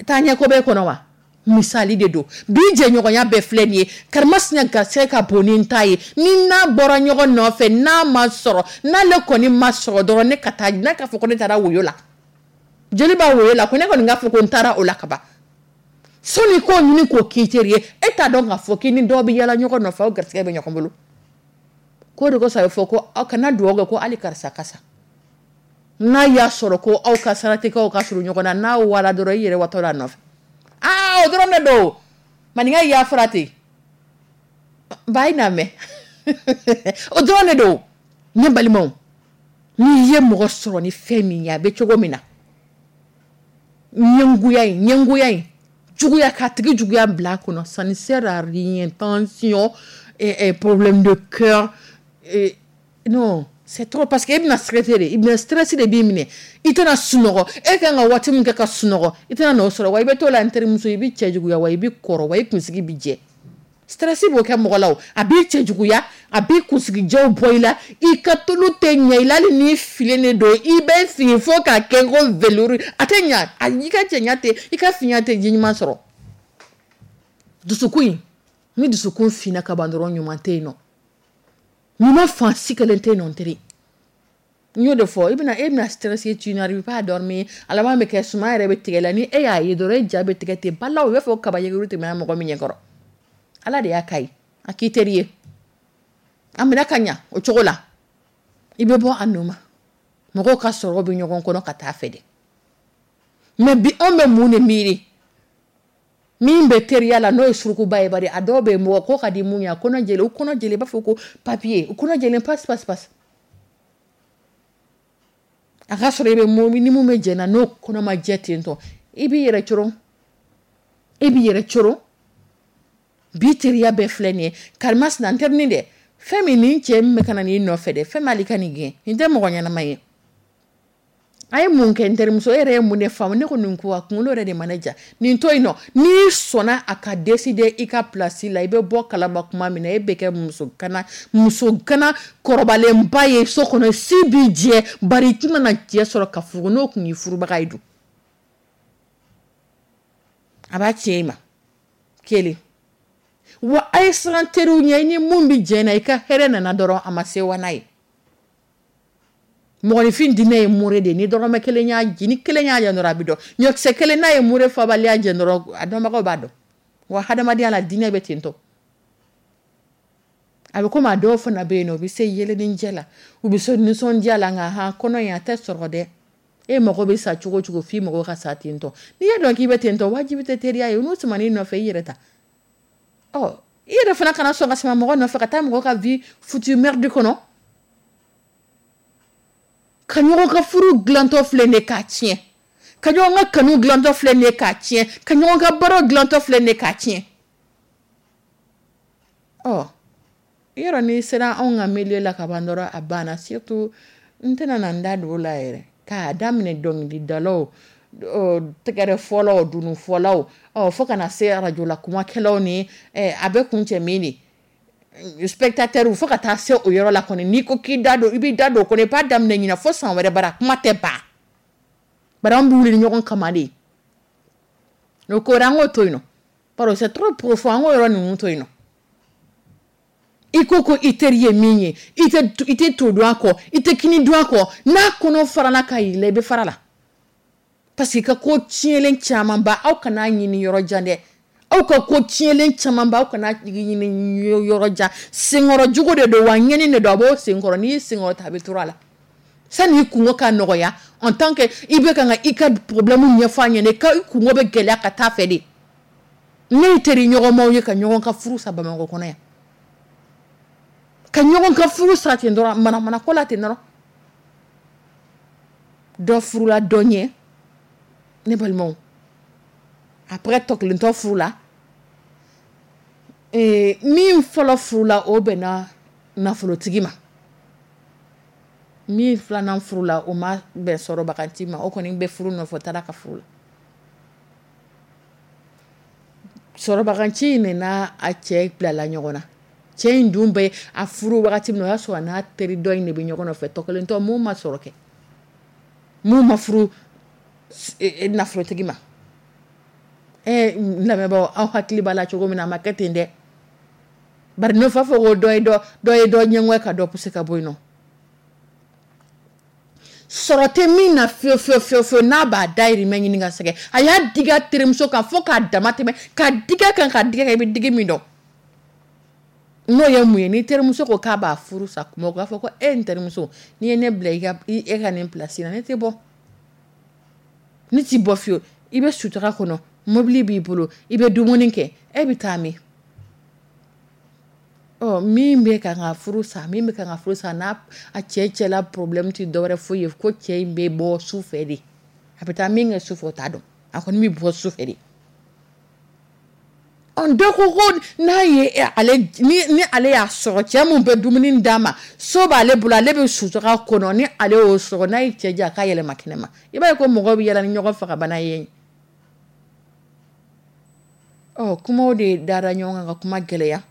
Taa ɲɛ ko b'e kɔnɔ wa? Misali de don. Bi jɛɲɔgɔnya bɛɛ filɛ nin ye, karimasina garisɛgɛ ka bon ni n ta ye, ni n'a bɔra ɲɔgɔn nɔfɛ, n'a ma sɔrɔ, n'ale kɔni ma sɔrɔ dɔrɔn, ne ka taa, n'a k'a fɔ ko ne taara woyo la, jeli b'a woyo la, ko ne kɔni k'a fɔ ko n taara o la kaban. Sɔnni k'o ɲini k'o k'i teri ye, e t'a dɔn k'a fɔ k'i ni dɔw bɛ yaala ɲɔgɔn nɔfɛ, aw garisɛgɛ bɛ ɲɔgɔn bolo. K'o de kosɔn a bɛ fɔ ko aw kana dugawu kɛ ko hali karisa kasa n'a y'a sɔrɔ ko aw ka saratigɛw ka surun ɲɔgɔn na, n'a wala dɔrɔn, i yɛrɛ watɔ la nɔfɛ. Aa, o dɔrɔn de don. Maninka y'a fɔra ten ba ye, n'a mɛn, o dɔrɔn de don. Ne balimaw, n'i ye mɔgɔ sɔrɔ ni fɛn min ye, a bɛ cogo min na, ɲɛngoya in, ɲɛngoya in, juguya k'a tigi juguya bila a kɔnɔ, ça ne sert à rien. Tension et, et problème de cœur et, non, c'est trop, parce que e bɛna stressé de, i bɛna stress de b'i minɛ, i tɛna sunɔgɔ. E kan ka waati min kɛ ka sunɔgɔ, i tɛna n'o sɔrɔ. Wa i bɛ t'o la, n terimuso, i bɛ cɛ juguya, wa i bɛ kɔrɔ, wa i kunsigi bɛ jɛ. Stress b'o kɛ mɔgɔ la. O a b'i cɛ juguya, a b'i kunsigijɛw bɔ i la, i ka tulu tɛ ɲɛ i la. Hali n'i filen de don, i bɛ fin fo k'a kɛ ko velours, a tɛ ɲa. A i ka cɛɲa tɛ, i ka finya tɛ ji ɲuman sɔrɔ. Dusukun in, ni dusukun finna ka ban dɔrɔn, ɲuman tɛ yen nɔ, ɲuman fan si kelen tɛ yen nɔ. N teri, n y'o de fɔ, i bɛna e bɛna stressé, tu n'arrives pas à dormir. A laban bɛ kɛ suma yɛrɛ bɛ tigɛ la. Ni e y'a ye dɔrɔn, e ja bɛ tigɛ ten balawu, i b'a fɔ kaba yeguru tɛmɛna mɔgɔ min ɲɛkɔrɔ. Ala de y'a ka ye, a k'i teri ye, a minɛ ka ɲa o cogo la, i bɛ bɔ a nɔ ma. Mɔgɔw ka sɔrɔ bɛ ɲɔgɔn kɔnɔ ka taa fɛ de. Mais bi, anw bɛ mun de miiri min bɛ teriya la, n'o ye surukuba ye? Bari a dɔw bɛ yen, mɔgɔ ko ka di mun ye, a kɔnɔ jɛlen, u kɔnɔ jɛlen, i b'a fɔ ko papier, u kɔnɔ jɛlen pasi pasi pasi. A ka sɔrɔ i bɛ mun ni mun bɛ jɛ na, n'o kɔnɔ ma jɛ ten tɔ, i b'i yɛrɛ coron, i b'i yɛrɛ coron. Bi teriya bɛɛ filɛ nin ye, karimasina n terinin dɛ, fɛn min nin cɛ min bɛ ka na n'i nɔfɛ dɛ, fɛn m'ale ka nin gɛn, nin tɛ mɔgɔ ɲɛnama ye. A ye mun kɛ? N terimuso, e yɛrɛ ye mun de faamu? Ne ko nin ko a kunkolo yɛrɛ de ma ne ja. Nin to yen nɔ, n'i sɔnna a ka décider i ka place la, i bɛ bɔ kalama kuma min na, e bɛ kɛ muso gana, muso gana kɔrɔbalenba ye so kɔnɔ, si b'i jɛ. Bari i tɛna na cɛ sɔrɔ ka furu, n'o tun y'i furubaga ye dun, a b'a tiɲɛ i ma kelen. Wa a ye siran teriw ɲɛ. I ni mun bɛ jɛ na, i ka hɛrɛ nana dɔrɔn, a ma se wa n'a ye. Mɔgɔninfin diinɛ ye mure de ye. Ni dɔrɔmɛ kelen y'a ji, ni kelen y'a jɛ dɔrɔn, a bɛ dɔn. Ɲɔkisɛ kelen n'a ye mure fabaliya jɛ dɔrɔn, a dɔnbagaw b'a dɔn. Wa hadamadenya la, diinɛ bɛ ten tɔ. A bɛ komi a dɔw fana bɛ yen nɔ, u bɛ se yelenijɛ la, u bɛ se nisɔndiya la, nka han, kɔnɔ in a tɛ sɔrɔ dɛ. E mago bɛ sa cogo o cogo, f'i mago ka sa ten tɔ. N'i y'a dɔn k'i bɛ ten tɔ, wajibi tɛ teriya ye. N'u suman'i nɔfɛ, i yɛrɛ ta. Ɔ, i yɛrɛ fana kana sɔn ka sama mɔgɔ nɔfɛ ka taa mɔgɔ ka vie foutue merde kɔnɔ. Ka ɲɔgɔn ka furu dilantɔ filɛ nin ye k'a tiɲɛ, ka ɲɔgɔn ka kanu dilantɔ filɛ nin ye k'a tiɲɛ, ka ɲɔgɔn ka baaraw dilantɔ filɛ nin ye k'a tiɲɛ. Ɔ, yɔrɔ n'i sera anw ka milieu la ka ban dɔrɔn, a banna. Surtout, n tɛna na n da don o la yɛrɛ, k'a daminɛ dɔnkilidalaw, tɛgɛrɛ fɔlaw, dununfɔlaw, ɔ, fo kana se arajo la kumakɛlaw ni a bɛ kun cɛ min de spectateur, fo ka taa se o yɔrɔ la kɔni. N'i ko k'i da don, i b'i da don o kɔnɔ, i b'a daminɛ ɲina fo san wɛrɛ, bara kuma tɛ ban. Bari an bɛ wuli ni ɲɔgɔn kama de. O ko wɛrɛ, an k'o to yen nɔ, parce que c'est trop profond. An k'o yɔrɔ ninnu to yen nɔ. I ko ko i teri ye min ye, i tɛ i tɛ to dun a kɔ, i tɛ kini dun a kɔ. N'a kɔnɔ farala ka yɛlɛ, i bɛ fara la, parce que i ka ko tiɲɛlen caman ba, aw kana ɲini yɔrɔ jan dɛ. Aw ka ko tiɲɛlen caman ba, aw kana ɲini yɔrɔ jan. Senkɔrɔ jugu de don wa, ɲɛni de don, a b'o senkɔrɔ. N'i y'i senkɔrɔ ta, a bɛ turu a la. Sani i kungo ka nɔgɔya, en tant que i bɛ kan ka i ka problème ɲɛfɔ a ɲɛna, i ka i kungo bɛ gɛlɛya ka taa fɛ de. Ne ye teri ɲɔgɔnmaw ye ka ɲɔgɔn ka furu sa Bamakɔ kɔnɔ yan, ka ɲɔgɔn ka furu sa ten dɔrɔn, manamana ko la ten dɔrɔn. Dɔ furula dɔ ɲɛ, ne balimaw. Après, tɔ kelentɔ furula. Min fɔlɔ furula, o bɛnna nafolotigi ma. Min filanan furula, o ma bɛn sɔrɔbaganti ma. O kɔni bɛ furu nɔfɛ, o taara ka furu la. Sɔrɔbaganci in de n'a a cɛ bilala ɲɔgɔn na. Cɛ in dun bɛ a furu wagati min na, o y'a sɔrɔ a n'a teri dɔ in de bɛ ɲɔgɔn nɔfɛ. Tɔ kelentɔ mun ma sɔrɔ kɛ, mun ma furu nafolotigi ma. Ɛ, n lamɛnbaaw, aw hakili b'a la cogo min na, a ma kɛ ten dɛ. Bari n'o f'a fɔ ko dɔ ye dɔ dɔ ye dɔ ɲɛngɔ ka dɔ pousser ka bɔ yen nɔ. Sɔrɔ tɛ min na fiyewu fiyewu fiyewu fiyewu, n'a b'a dayirimɛ ɲini ka sɛgɛn, a y'a digi a terimuso kan fo k'a dama tɛmɛ, k'a digi a kan, k'a digi a kan, i bɛ digi min dɔn. N'o ye mun ye? Ni terimuso ko k'a b'a furu sa kuma, o k'a fɔ ko e n terimuso, n'i ye ne bila i ka e ka nin place la, ne tɛ bɔ, ne t'i bɔ fiyewu. I bɛ sutura kɔnɔ, mobili b'i bolo, i bɛ dumuni kɛ, e bɛ taa min? Ɔ, min bɛ kan ka furu sa, min bɛ kan ka furu sa, n'a a cɛ cɛla problème tɛ dɔwɛrɛ foyi ye ko cɛ in bɛ bɔ su fɛ de. A bɛ taa min kɛ su fɛ, o t'a dɔn, a kɔni bɛ bɔ su fɛ de. Ɔ, dɔ ko ko n'a ye ale ni ni ale y'a sɔrɔ cɛ mun bɛ dumuni d'a ma, so b'ale bolo, ale bɛ sutura kɔnɔ, ni ale y'o sɔrɔ, n'a ye cɛ ja, k'a yɛlɛma kɛnɛ ma. I b'a ye ko mɔgɔw bɛ yala ni ɲɔgɔn fagabana ye. Ɔ, kumaw de dara ɲɔgɔn kan ka kuma gɛlɛya.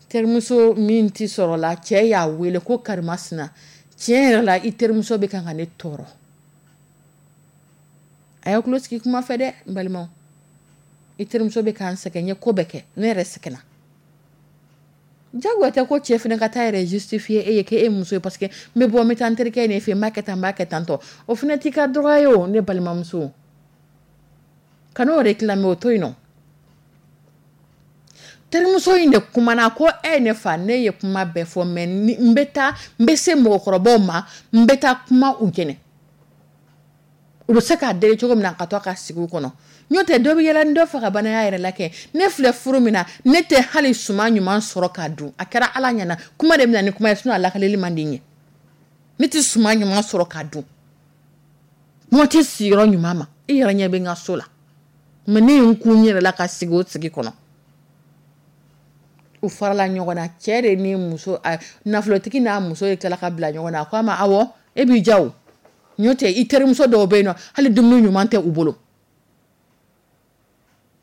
Terimuso min ti sɔrɔ la, cɛ y'a wele ko karimasina, tiɲɛ yɛrɛ la, i terimuso bɛ kan ka ne tɔɔrɔ. A y'aw tulo sigi kuma fɛ dɛ, n balimaw. I terimuso bɛ k'an sɛgɛn, n ye ko bɛɛ kɛ, ne yɛrɛ sɛgɛnna. Jagoya tɛ ko cɛ fana ka taa yɛrɛ justifier e ye k'e muso ye, parce que n bɛ bɔ, n bɛ taa n terikɛ in fɛ, n b'a kɛ tan, n b'a kɛ tan tɔ. O fana t'i ka droit ye o, ne balimamuso. Kan'o réclamer, o to yen nɔ. Terimuso in de kumana ko e ne fa, ne ye kuma bɛɛ fɔ, mais n bɛ taa, n bɛ se mɔgɔkɔrɔbaw ma, n bɛ taa kuma u ɲɛnɛ, u bɛ se k'a deli cogo min na ka to a ka sigi u kɔnɔ. N'o tɛ, dɔ bɛ yɛlɛ ni dɔ fagabanaya yɛrɛ la kɛ. Ne filɛ furu min na, ne tɛ hali suman ɲuman sɔrɔ k'a dun. A kɛra Ala ɲɛna, kuma de bɛ na ni kuma ye, sinon a lakaleli man di n ye. Ne tɛ suman ɲuman sɔrɔ k'a dun, kuma tɛ sigiyɔrɔ ɲuman ma. I yɛrɛ ɲɛ bɛ n ka so la, mais ne ye n kun n yɛrɛ la ka sigi o sigi kɔnɔ. U farala ɲɔgɔn na, cɛ de ni muso, nafolotigi n'a muso ye tila ka bila ɲɔgɔn na. A ko a ma awɔ, e b'i ja o, n'o tɛ i terimuso dɔw bɛ yen nɔ, hali dumuni ɲuman tɛ u bolo,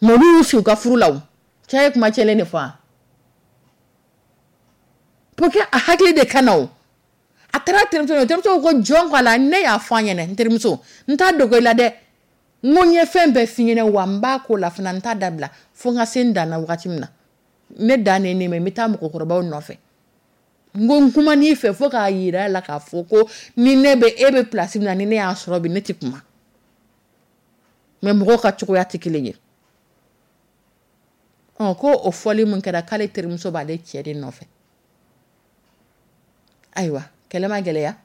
mais olu y'u sigi u ka furu la. O cɛ ye kuma cɛlen de fɔ wa, pour que a hakili de ka na. O a taara terimuso, terimuso ko jɔn ko a la, ne y'a fɔ a ɲɛna, n terimuso, n t'a dogo i la dɛ, n ko n ye fɛn bɛɛ f'i ɲɛna, wa n b'a ko la fana, n t'a dabila fo n ka se n dan na. Wagati min na ne dan ne ne ma, n bɛ taa mɔgɔkɔrɔbaw nɔfɛ. N ko n kuma n'i fɛ fo k'a yira la k'a fɔ ko ni ne bɛ e bɛ place min na, ni ne y'a sɔrɔ bi, ne tɛ kuma. Mais mɔgɔw ka cogoya tɛ kelen ye. Ɔ, ko o fɔli mun kɛra, k'ale terimuso b'ale cɛ de nɔfɛ. Ayiwa, kɛlɛ ma gɛlɛya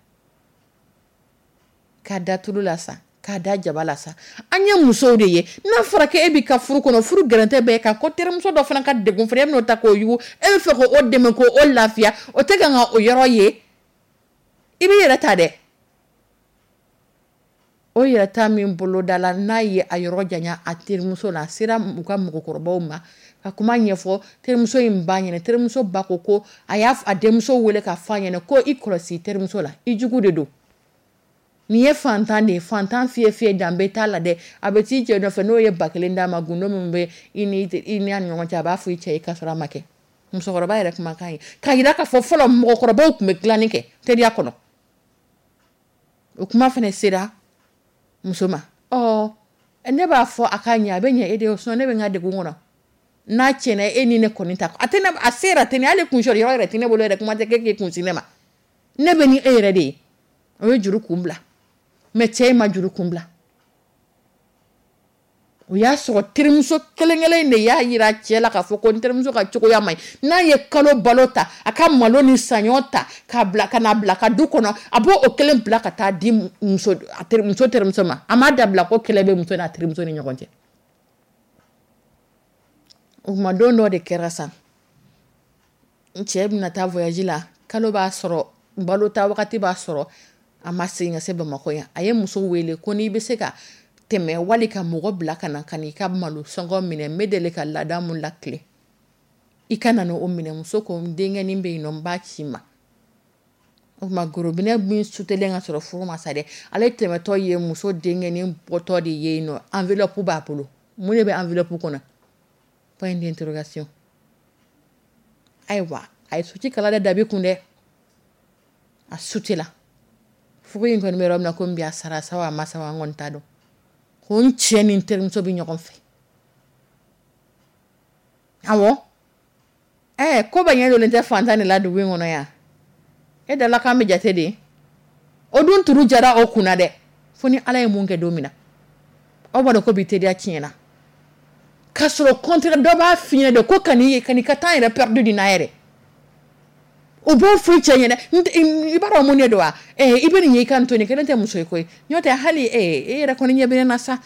k'a da tulu la sa, k'a da jaba la sa. An ye musow de ye. N'a fɔra k'e b'i ka furu kɔnɔ, furu gɛrɛntɛ bɛɛ kan, ko terimuso dɔ fana ka degun fana, e bɛn'o ta k'o yugu, e bɛ fɛ k'o dɛmɛ k'o lafiya, o tɛ kan ka o yɔrɔ ye, i b'i yɛrɛ ta dɛ. O yɛrɛ ta min boloda la, n'a ye a yɔrɔ janya a terimuso la, a sera u ka mɔgɔkɔrɔbaw ma ka kuma ɲɛfɔ terimuso in ba ɲɛna. Terimuso ba ko ko a y'a a denmuso wele ka fɔ a ɲɛna ko i kɔlɔsi terimuso la, i jugu de don. Nin ye fantan de ye, fantan fiyɛ fiyɛ, danbe t'a la dɛ. A bɛ t'i cɛ nɔfɛ, n'o ye ba kelen d'a ma, gundo min bɛ i ni i ni a ni ɲɔgɔn cɛ, a b'a fɔ i cɛ ye k'a sɔrɔ a ma kɛ. Musokɔrɔba yɛrɛ kumakan ye k'a yira k'a fɔ fɔlɔ mɔgɔkɔrɔbaw tun bɛ dilanni kɛ teriya kɔnɔ. O kuma fana sera muso ma. Ɔ, ne b'a fɔ a ka ɲɛ, a bɛ ɲɛ e de ye, sinon ne bɛ n ka degun kɔnɔ. N'a tiɲɛna, e ni ne kɔni ta, a tɛ ne, a se yɛrɛ tɛ ne, hali kunsɔrɔ yɔrɔ yɛrɛ tɛ ne bolo yɛrɛ, kuma tɛ k'e k'i kun sin ne ma. Ne bɛ ni e yɛrɛ de ye. O ye juru kun bila, mais cɛ in ma juru kun bila. O y'a sɔrɔ terimuso kelen kelen in de y'a yira cɛ la k'a fɔ ko n terimuso ka cogoya man ɲi. N'a ye kalo balo ta, a ka malo ni saɲɔ ta k'a bila ka na bila ka du kɔnɔ, a b'o o kelen bila ka taa di muso a teri muso terimuso ma. A m'a dabila ko kɛlɛ bɛ muso n'a terimuso ni ɲɔgɔn cɛ. O tuma, don dɔ de kɛra sa, n cɛ bɛna taa voyage la, kalo b'a sɔrɔ, balo ta wagati b'a sɔrɔ, a ma segin ka se Bamakɔ yan. A ye muso wele ko n'i bɛ se ka tɛmɛ wali ka mɔgɔ bila ka na ka n'i ka malo sɔngɔ minɛ, n bɛ deli ka laada mun lakile, i ka na n'o minɛ. Muso ko n denkɛnin bɛ yen nɔ, n b'a ci ma. O tuma, gorobinɛ min sutelen ka sɔrɔ furu ma sa dɛ, ale tɛmɛtɔ ye muso denkɛnin bɔtɔ de ye yen nɔ, enveloppe b'a bolo. Mun de bɛ enveloppe kɔnɔ? Point d'interrogation. Ayiwa, a ye suti kala dɛ dabi kun dɛ, a sutela. Furu in kɔni bɛ yɔrɔ min na komi bi, a sara sa wa, a ma sa wa, an kɔni t'a dɔn. Ko n cɛ ni n terimuso bɛ ɲɔgɔn fɛ. Awɔ, ɛɛ, ko bɛɛ ɲɛ donnen tɛ fantan de la dugu in kɔnɔ yan. E dala k'an bɛ jate de, o dun turu jara o kunna dɛ, fo ni Ala ye mun kɛ don min na. Aw b'a dɔn ko bi teriya tiɲɛna k'a sɔrɔ contraire dɔ b'a f'i ɲɛna de ko kan'i kan'i ka temps yɛrɛ perdu nin na yɛrɛ. O b'o fɔ i cɛ ɲɛna, i b'a dɔn mun de don wa? I bɛ nin ye, i ka nin to nin kelen tɛ muso ye koyi. N'o tɛ hali e yɛrɛ kɔni ɲɛ bɛ ne na sa,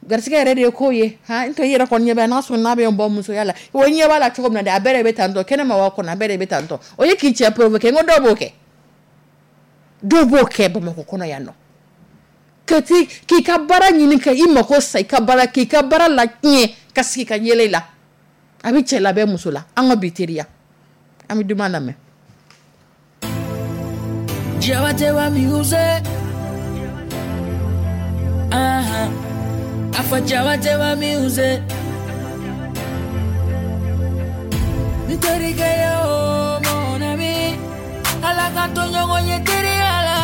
garisɛgɛ yɛrɛ de ye ko ye. Han, n tɛ i yɛrɛ kɔni ɲɛ bɛ, n'a sɔrɔ n'a bɛ n bɔ musoya la, o ɲɛ b'a la cogo min na dɛ, a bɛɛ de bɛ tan tɔ, kɛnɛma wa kɔnɔ, a bɛɛ de bɛ tan tɔ. O ye k'i cɛ provoquer. N ko dɔw b'o kɛ, dɔw b'o kɛ Bamakɔ kɔnɔ yan nɔ, k'i ka baara ɲini ka i mako sa i ka baara, k'i ka baara la tiɲɛ, ka sigi ka yɛlɛ i la. A bɛ cɛ labɛn muso la. An ka bi teriya, an bɛ duman lamɛn. Jabatewa music. Uh-huh. Afa Jabatewa music. Nterike yo mon ami. Ala ka to ɲɔgɔn ye teriya la.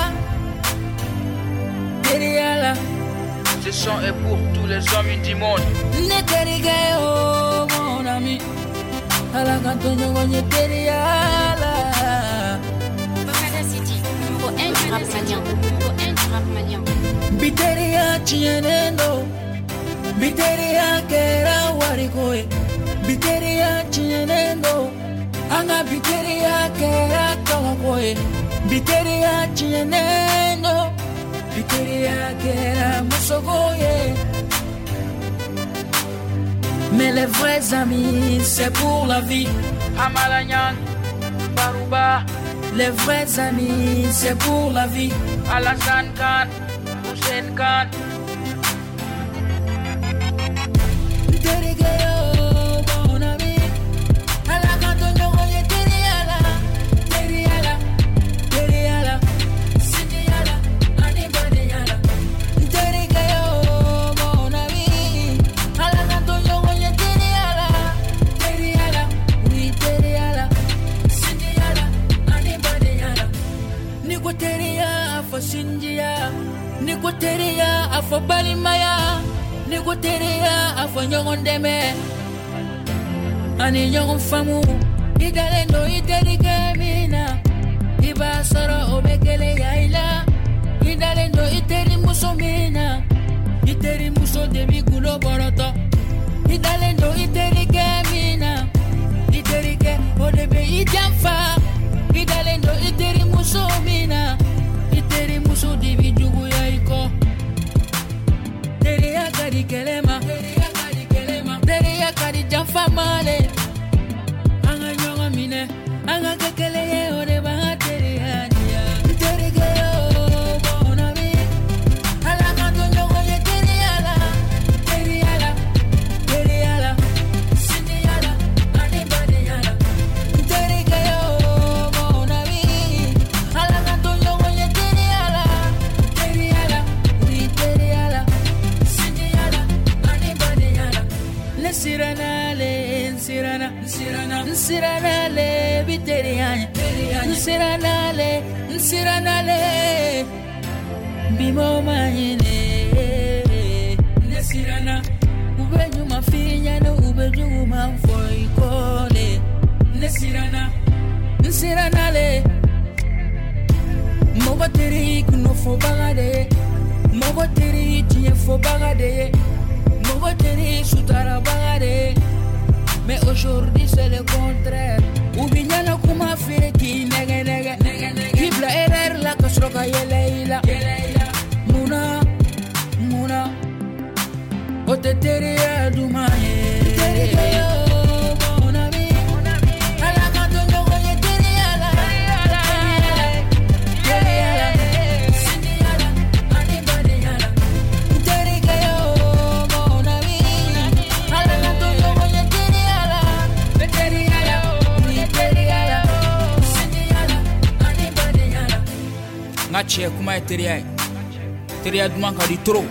Teriya la. Ce son est pour tous les hommes du monde. Ne terike yo mon ami. Ala ka to ɲɔgɔn ye teriya la. City, numéro un du rap malien, numéro un du rap malien. Biteriya tiɲɛnen don, biteriya kɛra wariko ye, biteriya tiɲɛnen don, an ka biteriya kɛra kabako ye, biteriya tiɲɛnen don, biteriya kɛra musoko ye. Mais les vrais amis, c'est pour la vie. Hamalayan, Baruba. Les vrais amis, c'est pour la vie. Alassane Khan, Hussein Khan. Nterike yo, mon ami. Ala ka to ɲɔgɔn ye teriya la, teriya la, teriya la, sinjiya la, ani badenya la. Nterike yo, mon ami. Ala ka to ɲɔgɔn ye teriya la, teriya la, oui teriya la, sinjiya la, ani badenya la. Ni ko teriya a fɔ sinjiya, ni ko teriya a fɔ balimaya, ni ko teriya a fɔ ɲɔgɔn dɛmɛ ani ɲɔgɔn faamu. I dalen don i terikɛ min na, i b'a sɔrɔ o bɛ gɛlɛya i la. I dalen don i terimuso min na, i terimuso de b'i kulo bɔrɔtɔ. I dalen don i terikɛ min na, i terikɛ o de bɛ i janfa. I dalen don i terimuso min na, i terimuso de b'i juguya i kɔ. Teriya ka di kɛlɛ ma, teriya ka di kɛlɛ ma, teriya ka di janfa ma le. An ka ɲɔgɔn minɛ, an ka kɛ kelen ye, o de b'an ka teriya diya. N terikɛ yo, mon ami. Ala k'an to ɲɔgɔn ye teriya la, teriya la, teriya la, sinjiya la, ani badenya la. N terikɛ yo, mon ami. Ala k'an to ɲɔgɔn ye teriya la, teriya la, oui teriya la, sinjiya la, ani badenya la. Ne siranna le, n siranna, n siranna, n siranna le bi teriya ɲɛ. N siranna le, n siranna le bi mɔgɔ ma ɲinɛ. Ne siranna, u bɛ ɲuman f'i ɲɛna, u bɛ juguman fɔ i kɔ le. Ne siranna, n siranna le. Mɔgɔ teri kunnafɔbaga de ye, mɔgɔ teri tiɲɛfɔbaga de ye, mɔgɔ teri sutarabaga de ye. Mais aujourd'hui c'est le contraire. U bi ɲɛna kuma feere k'i nɛgɛ nɛgɛ, k'i bila erreur la ka sɔrɔ ka yɛlɛ i la. Munna, munna o tɛ teriya duman ye? Terikɛ yo, mon ami. Ala k'an to ɲɔgɔn ye teriya la, teriya la, sinjiya la, ani badenya la. Terikɛ yo, mon ami. Ala k'an to ɲɔgɔn ye teriya la, teriya la, oui teriya la, sinjiya la, ani badenya la. N ka cɛ kuma ye teriya ye. Teriya duman ka di trop.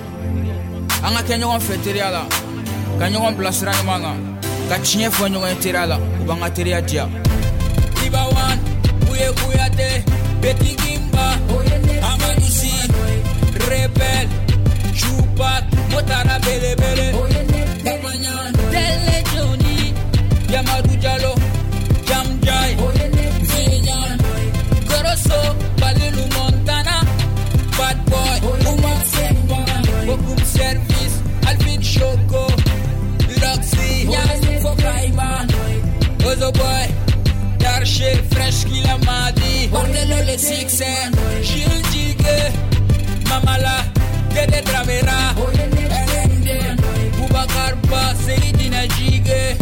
An ka kɛ ɲɔgɔn fɛ teriya la, ka ɲɔgɔn bilasira ɲuman kan, ka tiɲɛ fɔ ɲɔgɔn ye teriya la, o b'an ka teriya diya. Iba One, Buye Kuyate, Petit Gimba, Amadou Sy, Rebel, Tupac, Motara Belebele, Tele Johnny, Yamadou Diallo, Jam Jai, Zeyan, Goroso, Balilu Montana, Bad Boy, Oumar Semba, Bokum Service, Alvin Choco, Loxy, Fokaima, Ozo Boy, Le succès, Jules Djigue, Mamala, Dede Dramera, L N D, Boubacar Ba, Seydina Djigue,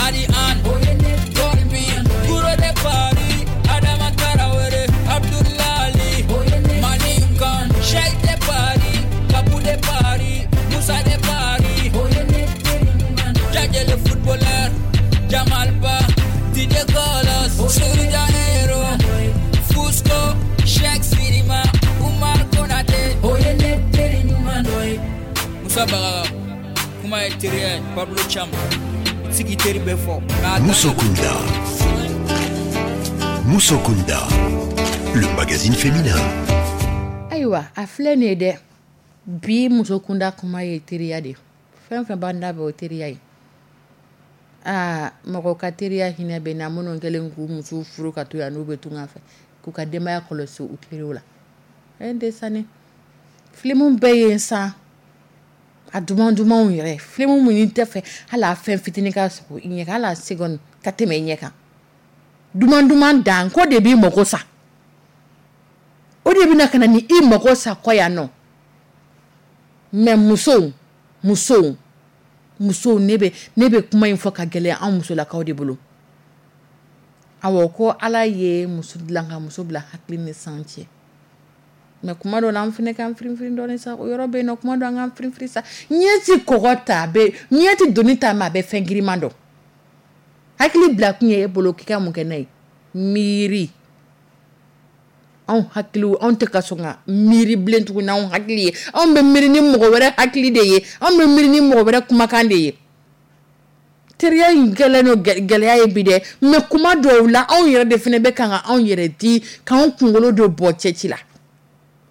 Ali Ann, Dolby, Gouro de Paris, Adama Tarawere, Abdoulaye Ali, Malinkan, Cheikh de Paris, Kabou de Paris, Moussa de Paris, Djadje le footballeur, Jamal Ba, D J Carlos, Souri Janeiro, Fusco, Sheikh Sirima, Umar Konate, Moussa Bagaga, kuma ye teriya ye, Pablo Cham, sigi teri bɛ fɔ. Nka a dan ye- Musokunda. Musokunda. Le magazine féminin. Ayiwa, a filɛ nin ye dɛ, bi muso kunda kuma ye teriya de ye. Fɛn fɛn b'an da bɛ, o ye teriya ye. Aa, mɔgɔ ka teriya hinɛ bɛ na minnu kɛlen k'u musow furu ka to yan, n'u bɛ tunga fɛ k'u ka denbaya kɔlɔsi u teriw la. Ɛ, n tɛ sani filimu bɛɛ ye san a duman dumanw yɛrɛ, filimu min tɛ fɛ hali a fɛn fitinin ka sɔgɔ i ɲɛ kan, hali a seconde ka tɛmɛ i ɲɛ kan, duman duman dan ko de b'i mago sa, o de bɛna ka na ni i mago sa kɔ yan nɔ. Mɛ musow, musow, musow, ne bɛ ne bɛ kuma in fɔ ka gɛlɛya anw musolakaw de bolo. Awɔ, ko Ala ye muso dilan ka muso bila hakili ni san cɛ, mɛ kuma dɔ la, an fana k'an firin dɔɔnin sa. O yɔrɔ bɛ yen nɔ, kuma dɔ an k'an firin sa. Ɲɛ ti kɔgɔ ta, a bɛ ɲɛ ti doni ta, mɛ a bɛ fɛn giriman dɔn. Hakili bila kun ye e bolo k'i ka mun kɛ n'a ye? Miiri. Anw hakili, anw tɛ ka sɔn ka miiri bilen tuguni. Anw hakili ye, anw bɛ miiri ni mɔgɔ wɛrɛ hakili de ye, anw bɛ miiri ni mɔgɔ wɛrɛ kumakan de ye. Teriya in gɛlɛn no, gɛlɛya ye bi dɛ, mɛ kuma dɔw la, anw yɛrɛ de fana bɛ kan ka anw yɛrɛ di k'anw kunkolo don bɔ cɛci la.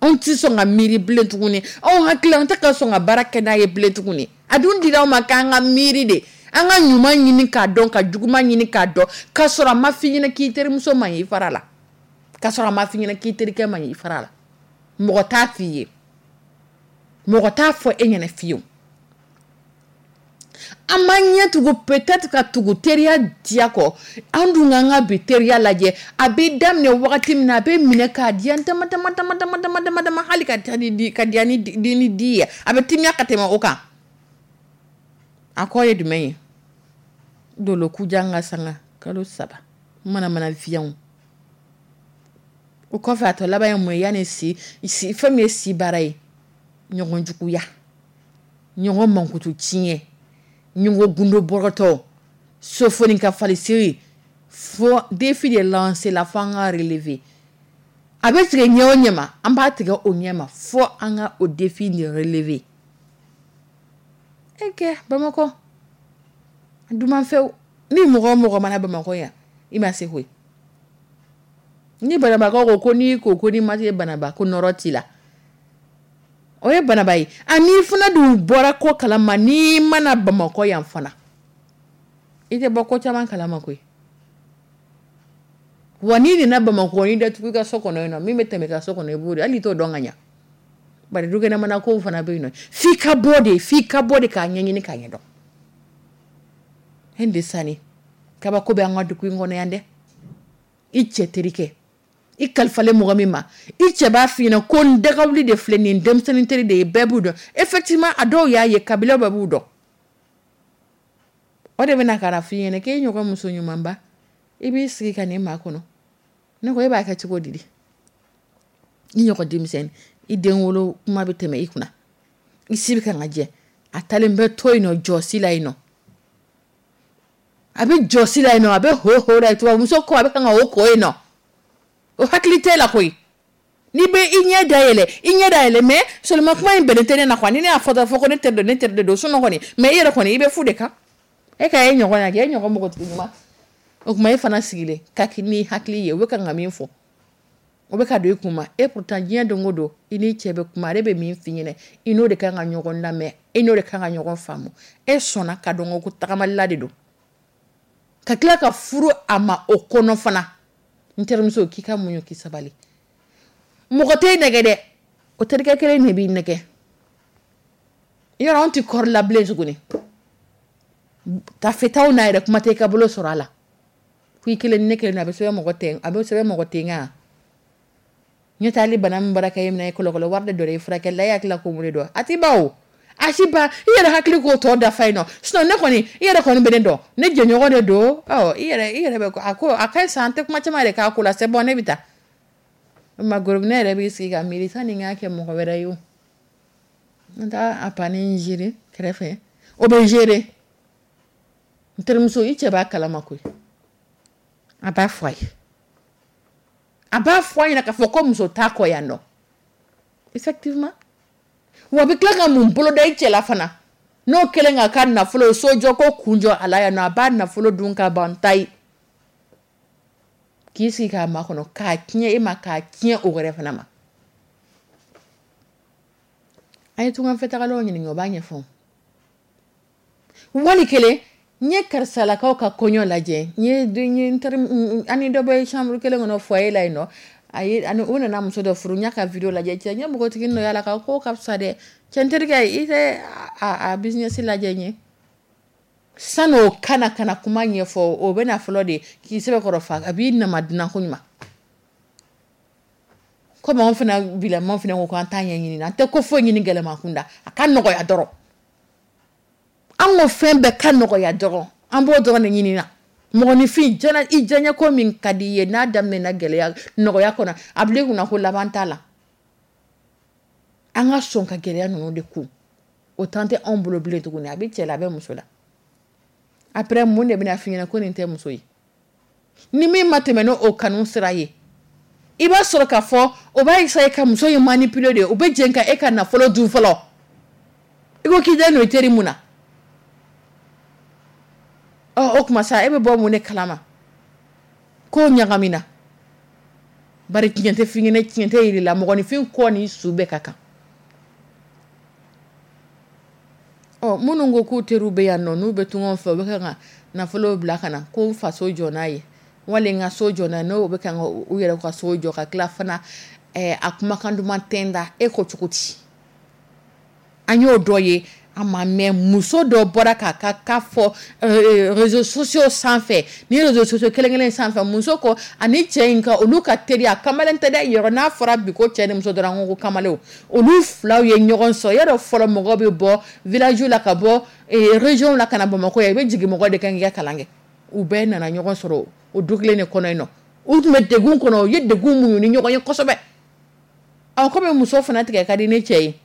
Anw tɛ sɔn ka miiri bilen tuguni. Anw hakili, an tɛ ka sɔn ka baara kɛ n'a ye bilen tuguni. A dun dira anw ma k'an ka miiri de, an ka ɲuman ɲini k'a dɔn, ka juguman ɲini k'a dɔn, k'a sɔrɔ a ma f'i ɲɛna k'i terimuso man ɲi, i fara la, k'a sɔrɔ a ma f'i ɲɛna k'i terikɛ man ɲi, i fara la. Mɔgɔ t'a f'i ye, mɔgɔ t'a fɔ e ɲɛna fiyewu. An m'an ɲɛ tugu, peut-être ka tugu teriya diya kɔ. An dun k'an ka bi teriya lajɛ, a bɛ daminɛ wagati min na, a bɛ minɛ k'a diya dama dama dama dama dama dama dama, hali ka diya ni di ka diya ni di ni di ye, a bɛ timiya ka tɛmɛ o kan. A kɔ ye jumɛn ye? Dolo kujan ka sanga kalo saba mana mana fiyanw o kɔfɛ, a tɔ laban ye mun ye? Yanni si si, fɛn min ye si baara ye, ɲɔgɔn juguya, ɲɔgɔn mankutu tiɲɛ, ɲɔgɔn gundo bɔrɔtɔ, sofoni ka falisiri, fo défi de lancer la, fo an ka relever. A bɛ tigɛ ɲɛ o ɲɛ ma, an b'a tigɛ o ɲɛ ma, fo an ka o défi de relever. E kɛ Bamakɔ dumanfɛw ni mɔgɔ o mɔgɔ mana Bamakɔ yan, i ma se koyi. Ni banabagatɔ ko ko n'i ko ko n'i ma se banaba ko nɔrɔ t'i la, o ye banaba ye. A n'i fana dun bɔra ko kalama, n'i mana Bamakɔ yan fana, i tɛ bɔ ko caman kalama koyi. Wa n'i nana Bamakɔ, n'i datugu i ka so kɔnɔ yen nɔ, min bɛ tɛmɛ i ka so kɔnɔ, i b'o de, hali i t'o dɔn ka ɲa. Bari dukɛnɛmana kow fana bɛ yen nɔ, f'i ka bɔ de, f'i ka bɔ de k'a ɲɛɲini k'a ɲɛdɔn. Hen de sani kabako bɛ an ka dugu in kɔnɔ yan dɛ. I cɛ terikɛ, i kalifalen mɔgɔ min ma, i cɛ b'a f'i ɲɛna ko n dagawuli de filɛ nin ye, denmisɛnnin teri de ye, bɛɛ b'u dɔn. Effectivement, a dɔw y'a ye, kabila bɛɛ b'u dɔn. O de bɛna ka na f'i ɲɛna k'e ɲɔgɔn muso ɲumanba, i b'i sigi ka nin maa kɔnɔ. Ne ko e b'a kɛ cogo di? I ɲɔgɔn denmisɛnnin, i den wolo kuma bɛ tɛmɛ i kunna, i si bɛ kan ka jɛ, a talen bɛ to yen nɔ, jɔsi la yen nɔ, a bɛ jɔsi la yen nɔ, a bɛ ho ho la, tubabuso ko a bɛ kan ka o ko yen nɔ, o hakili t'e la koyi. N'i bɛ i ɲɛ dayɛlɛ, i ɲɛ dayɛlɛ, mais seulement kuma in bɛnnen tɛ ne na quoi. Ni ne y'a fɔ dɔrɔn, fɔ ko ne teri don, ne teri de don. Sinon kɔni, mais i yɛrɛ kɔni, i bɛ fu de kan. E ka e ɲɔgɔn na kɛ, e ɲɔgɔn npogotigi ɲuman, o tuma e fana sigilen ka ni hakili ye, u bɛ kan ka min fɔ, o bɛ ka don i kun ma. E pourtant, diɲɛ don o don, i n'i cɛ bɛ kuma, ale bɛ min f'i ɲɛna, i n'o de kan ka ɲɔgɔn lamɛn, i n'o de kan ka ɲɔgɔn faamu. E sɔnna ka dɔn ko tagamalila de don, ka tila ka furu a ma o kɔnɔ fana. N terimuso, k'i ka muɲu, k'i sabali. Mɔgɔ tɛ nɛgɛ dɛ, o terikɛ kelen de b'i nɛgɛ. Yɔrɔ anw tɛ kɔrɔ la bilen tuguni, tafetaw n'a yɛrɛ kuma tɛ i ka bolo sɔrɔ a la ko i kelen ni ne kelen, a bɛ sɛbɛn mɔgɔ tɛ, a bɛ sɛbɛn mɔgɔ tɛ nka Ɲɛ t'ale bana min bɔra ka e minɛ i kɔlɔkɔlɔ wari de dɔ i furakɛli la, e hakili la ko mun de don? A ti ban o, a si ban. I yɛrɛ hakili k'o tɔ dafa yen nɔ. Sinon ne kɔni, i yɛrɛ kɔni bɛ ne dɔn, ne jɛɲɔgɔn de don. Ɔ, i yɛrɛ i yɛrɛ bɛ a ko a ka ɲi sa, an tɛ kuma caman yɛrɛ k'a ko la, c'est bon, ne bɛ taa. Ma gorobinɛ yɛrɛ b'i sigi ka miiri sani n k'a kɛ mɔgɔ wɛrɛ ye o. N t'a a panni gérer kɛrɛfɛ, o bɛ gérer. N terimuso, i cɛ b'a kalama koyi, a b'a fɔ a ye, a b'a fɔ a ɲɛna k'a fɔ ko muso t'a kɔ yan nɔ. Effectivement, wa a bɛ tila ka mun boloda i cɛ la fana, n'o kɛlen k'a ka nafolo sojɔ ko kun jɔ a la yan nɔ, a b'a nafolo dun ka ban ta ye, k'i sigi k'a makɔnɔ k'a tiɲɛ e ma, k'a tiɲɛ o wɛrɛ fana ma. A ye tunganfɛtagalaw ɲininka, o b'a ɲɛfɔ. Wali kelen n ye karisalakaw ka kɔɲɔ lajɛ, n ye n ye n teri ani dɔ bɛ chambre kelen kɔnɔ foyer la yen nɔ, a ye ani u nana muso dɔ furu. N y'a ka video lajɛ, cɛ n ye npogotigi dɔ y'a la ka ko ka fisa dɛ. Cɛ, n terikɛ, i tɛ a a business lajɛ n ye. San'o kana kana kuma ɲɛfɔ, o bɛ na fɔlɔ de k'i sɛbɛkɔrɔ fa, a b'i nama dunan ko ɲuman. Komi anw fana bilamaw fana ko k'an t'a ɲɛɲini, an tɛ ko foyi ɲini gɛlɛman kunda, a ka nɔgɔya dɔrɔn. An ko fɛn bɛɛ ka nɔgɔya dɔrɔn, an b'o dɔrɔn de ɲini na. Mɔgɔninfin jɛnɛ, i diyaɲɛ ko min ka di i ye, n'a daminɛna gɛlɛya nɔgɔya kɔnɔ, a bil'i kunna ko laban t'a la. An ka sɔn ka gɛlɛya ninnu de kun, o temps tɛ anw bolo bilen tuguni. A bɛ cɛ la, a bɛ muso la. Après, mun de bɛna f'i ɲɛna ko nin tɛ muso ye? Ni min ma tɛmɛ n'o kanu sira ye, i b'a sɔrɔ k'a fɔ o b'a essayer ka muso in manipuler de. O bɛ jɛn ka e ka nafolo dun fɔlɔ. I ko k'i den don i teri mun na? Ɔ, o tuma sa, e bɛ bɔ mun de kalama k'o ɲagamina? Bari tiɲɛ tɛ f'i ɲɛna, tiɲɛ tɛ yir'i la. Mɔgɔninfin kɔ ni su bɛɛ ka kan. Ɔ, minnu ko k'u teriw bɛ yan nɔ, n'u bɛ tunga fɛ, u bɛ kan ka nafolo bila ka na ko n faso jɔ n'a ye, wali n ka so jɔ n'a ye, n'o bɛ kan ka u yɛrɛ ka so jɔ ka tila fana, ɛɛ a kumakan duman tɛ n da. E ko cogo di? An y'o dɔ ye, a ma mɛn, muso dɔ bɔra k'a ka ka fɔ réseaux sociaux sanfɛ. Ni réseaux sociaux kelen kelen sanfɛ, muso ko ani cɛ in ka olu ka teriya, kamalen tɛ dɛ, yɔrɔ n'a fɔra bi ko cɛ ni muso dɔrɔn, an ko ko kamalenw, olu filaw ye ɲɔgɔn sɔrɔ. Yɔrɔ fɔlɔ mɔgɔ bɛ bɔ village la ka bɔ région la ka na Bamakɔ yan, i bɛ jigin mɔgɔ de kan k'i ka kalan kɛ. U bɛɛ nana ɲɔgɔn sɔrɔ o du kelen de kɔnɔ yen nɔ. U tun bɛ degun kɔnɔ, u ye degun muɲu ni ɲɔgɔn ye kosɛbɛ. Ɔ, komi muso fana tigɛ ka di ne cɛ ye,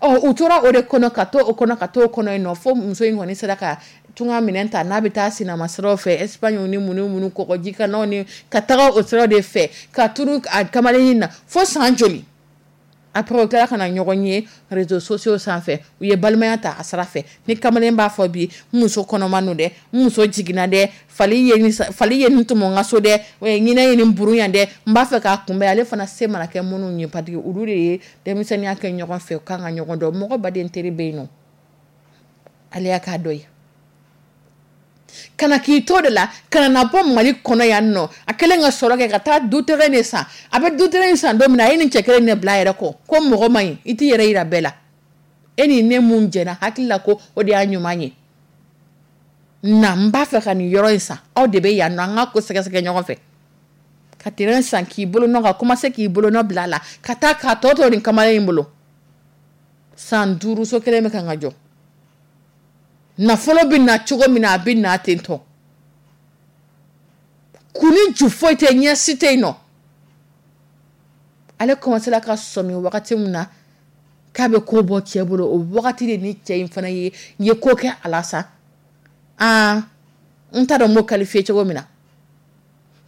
ɔ, u tora o de kɔnɔ ka to o kɔnɔ ka to o kɔnɔ yen nɔ, fo muso in kɔni sera ka tunga minɛn ta n'a bɛ taa sinama siraw fɛ, Espagne ni mun ni mun, kɔgɔji kanaw ni ka taga o siraw de fɛ ka turu a kamalen in na fo san joli. Après, u kɛra ka na ɲɔgɔn ye réseaux sociaux sanfɛ, u ye balimaya ta a sira fɛ. Ni kamalen b'a fɔ bi, n muso kɔnɔma don dɛ, n muso jiginna dɛ, fali ye nin fali ye nin tɔmɔ n ka so dɛ, ɲinɛ ye nin burun yan dɛ, n b'a fɛ k'a kunbɛn. Ale fana se mana kɛ minnu ye, parce que olu de ye denmisɛnninya kɛ ɲɔgɔn fɛ, u kan ka ɲɔgɔn dɔn. Mɔgɔ baden teri bɛ yen nɔ, ale y'a k'a dɔ ye. Kana k'i to de la, kana na bɔ Mali kɔnɔ yan nɔ, a kɛlen ka sɔrɔ kɛ ka taa du terrain de san. A bɛ du terrain san don min na, a ye nin cɛ kelen de bila a yɛrɛ kɔ ko mɔgɔ man ɲi, i t'i yɛrɛ yira bɛɛ la. E ni ne mun jɛna hakili la ko o de y'a ɲuman ye, na n b'a fɛ ka nin yɔrɔ in san, aw de bɛ yan nɔ, an ka ko sɛgɛsɛgɛ ɲɔgɔn fɛ. Ka terrain san k'i bolo nɔ, ka commencer k'i bolo nɔ bila a la, ka taa k'a tɔ to nin kamalen in bolo. San duuru, so kelen bɛ kan ka jɔ. Nafolo bɛ na cogo min na, a bɛ na ten tɔ. Kun ni ju foyi tɛ, ɲɛ si tɛ yen nɔ. Ale commencé ka sɔmi wagati min na k'a bɛ ko bɔ cɛ bolo, o wagati de ni cɛ in fana ye ye ko kɛ a la sa. Aa, n t'a dɔn n b'o qualifier cogo min na.